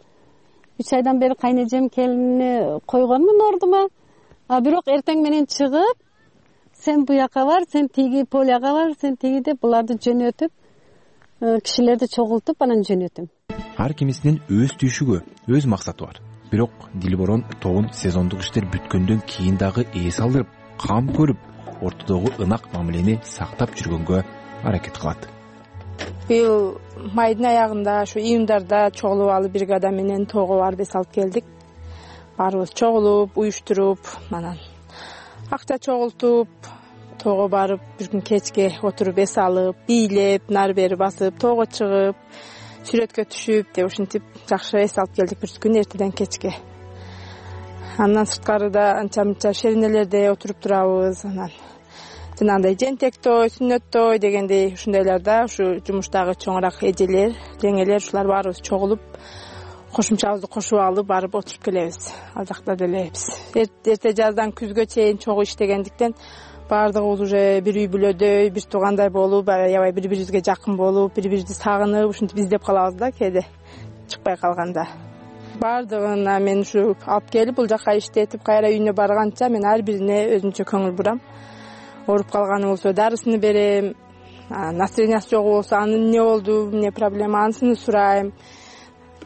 үч айдан бери кайнэжем келинни койгонмун ордума. А бирок эртең менен чыгып, сен буяка бар, сен тиги поляга бар, сен тиги деп буларды жөнөтүп, кишилерди чогултуп анан жөнөтөм. Ар кимисинин өз түйшүгү, өз максаты бар. Бирок Дилборон тогун сезондук иштер бүткөндөн кийин дагы эс алдырып, кам көрүп, ортодогу ынак мамилени сактап жүргөнгө аракет кылат. Быйыл майдын аягында ушу июндарда чогулуп алып бригада менен тоого барып эс алып келдик. Баарыбыз чогулуп, уюштуруп, анан акча чогултуп, тоого барып, бир күн кечке отуруп эс алып, бийлеп, нары бери басып, тоого чыгып, сүрөткө түшүп деп ушинтип жакшы эс алып келдик бир күн эртеден кечке. Андан сырткарыда анча мынча шеринелерде отуруп турабыз, анан жанагындай жентек той, сүннөт той дегендей ушундайларда ушу жумуштагы чоңураак эжелер, жеңелер ушулар баарыбыз чогулуп, кошумчабызды кошуп алып барып отуруп келебиз. Ал жакта деле биз эрте жаздан күзгө чейин чогуу иштегендиктен баардыгыбыз уже бир үй бүлөдөй, бир туугандай болуп, аябай бири-бирибизге жакын болуп, бири-бирибизди сагынып, ушинтип издеп калабыз да кээде чыкпай калганда. Баардыгына мен ушу алып келип, бул жака иштетип, кайра үйүнө барганча мен ар бирине өзүнчө көңүл бурам. Ооруп калганы болсо дарысыны берем, настроениясы жок болсо анын эмне болду, эмне проблема, анысını сурайм.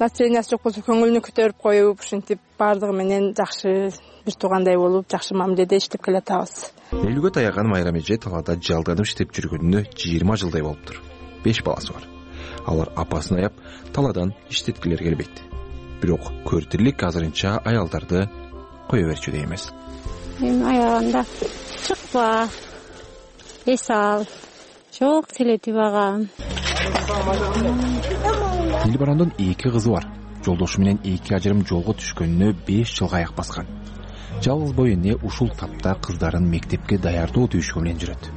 Настроениясы жок болсо көңүлүнү көтөрүп коюп, ушинтип баардыгы менен жакшы бир туугандай болуп, жакшы мамиледе иштеп келатабыз. Элүүгө таяган Майрам эже талаада жалданып иштеп жүргөнүнө жыйырма жылдай болуптур. беш баласы бар. Алар апасын аяп талаадан иштеткилер келбейт. Бирок көртүрлүк азырынча аялдарды кое берчүдөй эмес. Эми аягында чыкпа, эс ал, жок селетип агам. Дилбарондун эки кызы бар. Жолдошу менен эки ажырым жолго түшкөнүнө беш жылга аяк баскан. Жалгыз бой эне ушул тапта кыздарын мектепке даярдоо түйшүгү менен жүрөт.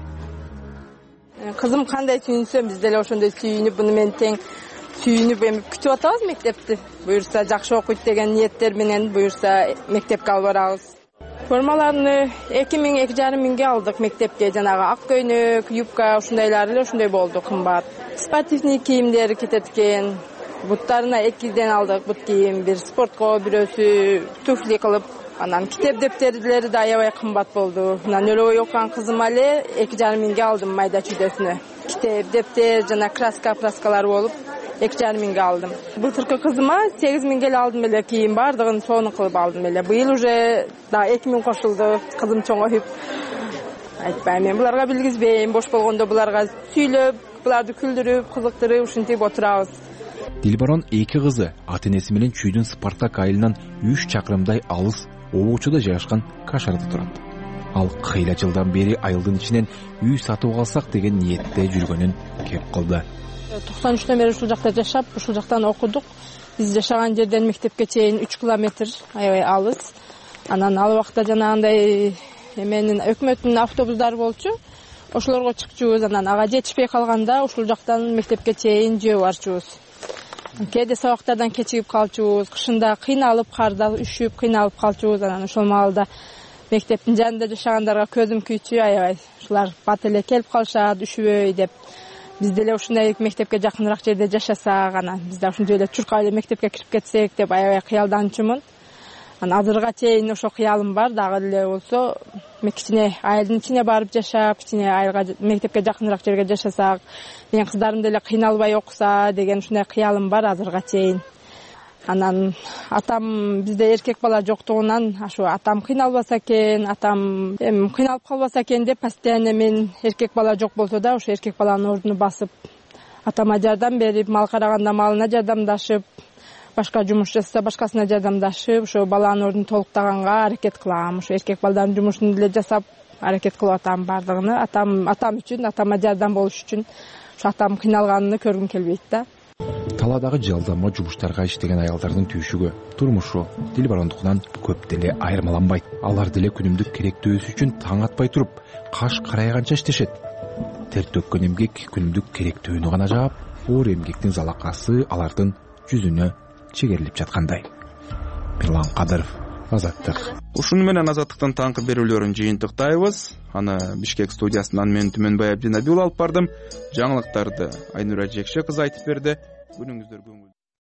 Кызым кандай сүйүнсө биз деле ошондой сүйүнүп, буну менен тең сүйүнүп эми күтүп атабыз мектепти. Буюрса жакшы окуйт деген ниеттер менен буюрса мектепке алып барабыз. Формаларны эки миң эки жарым миңге алдык мектепке, жанагы ак көйнөк, юбка ушундайлар эле ошондой болду, кымбат. Спортивный кийимдер кетет экен. Буттарына экиден алдык бут кийим, бир спортко, бирөөсү туфли кылып, анан китеп дептерлери да аябай кымбат болду. Анан өлөбөй окуган кызыма эле эки жарым миңге алдым майда чүйдөсүнө. Китеп, дептер жана краска, праскалар болуп эки жарым миңге алдым. Былтыркы кызыма сегиз миңге эле алдым эле кийим, баардыгын сонун кылып алдым эле. Быйыл уже да эки миң кошулду, кызым чоңоюп. Айтпайм, мен буларга билгизбейм, бош болгондо буларга сүйлөп, буларды күлдүрүп, кызыктырып ушинтип отурабыз. Дилбарон эки кызы ата-энеси менен Чүйдүн Спартак айылынан үч чакырымдай алыс Обучуда жайгашкан Кашарда турат. Ал кыйла жылдан бери айылдын ичинен үй сатып алсак деген ниетте жүргөнүн кеп кылды. токсон үчтөн бери ушул жакта жашап, ушул жактан окудук. Биз жашаган жерден мектепке чейин үч километр, аябай алыс. Анан ал убакта жанагындай эменин өкмөттүн автобустары болчу. Ошолорго чыкчубуз, анан ага жетишпей калганда ушул жактан мектепке чейин жөө барчубуз. Кээде сабактардан кечигип калчубуз, кышында кыйналып, карда үшүп, кыйналып калчубуз. Анан ошол маалда мектептин жанында жашагандарга көзүм күйчү, аябай ушулар бат эле келип калышат, үшүбөй деп. биз деле ушундай мектепке жакыныраак жерде жашасак, анан биз да ушунчой эле чуркап эле мектепке кирип кетсек деп аябай кыялданчумун. Анан азырга чейин ошо кыялым бар, дагы деле болсо кичине айылдын ичине барып жашап, кичине айылга мектепке жакыныраак жерге жашасак, менин кыздарым деле кыйналбай окуса деген ушундай кыялым бар азырга чейин. Анан атам бизде эркек бала жоктугунан ашу атам кыйналбаса экен, атам эми кыйналып калбаса экен деп постоянно мен эркек бала жок болсо да ошо эркек баланын ордуну басып, атама жардам берип, мал караганда малына жардамдашып, башка жумуш жасаса башкасына жардамдашып, ошо баланын ордун толуктаганга аракет кылам. Ошо эркек балдардын жумушун деле жасап аракет кылып атам бардыгыны. Атам атам үчүн, атама жардам болуш үчүн ошо атам кыйналганын көргүм келбейт да. Талаадагы жалдама жумуштарга иштеген аялдардын түйшүгү турмушу дил барондугунан көп деле айырмаланбайт. Алар деле күнүмдүк керектөөсү үчүн таң атпай туруп, каш карайганча иштешет. Тер төккөн эмгек күнүмдүк керектөөнү гана жаап, оор эмгектин залакасы алардын жүзүнө чегерилип жаткандай. Мирлан Кадыров, Азаттык. Ушуну менен Азаттыктын таңкы берүүлөрүн жыйынтыктайбыз. Аны Бишкек студиясынан мен Түмөнбай Абдинабил алып бардым. Жаңылыктарды Айнура Жекше кызы айтып берди. Күнүңүздөр көңүл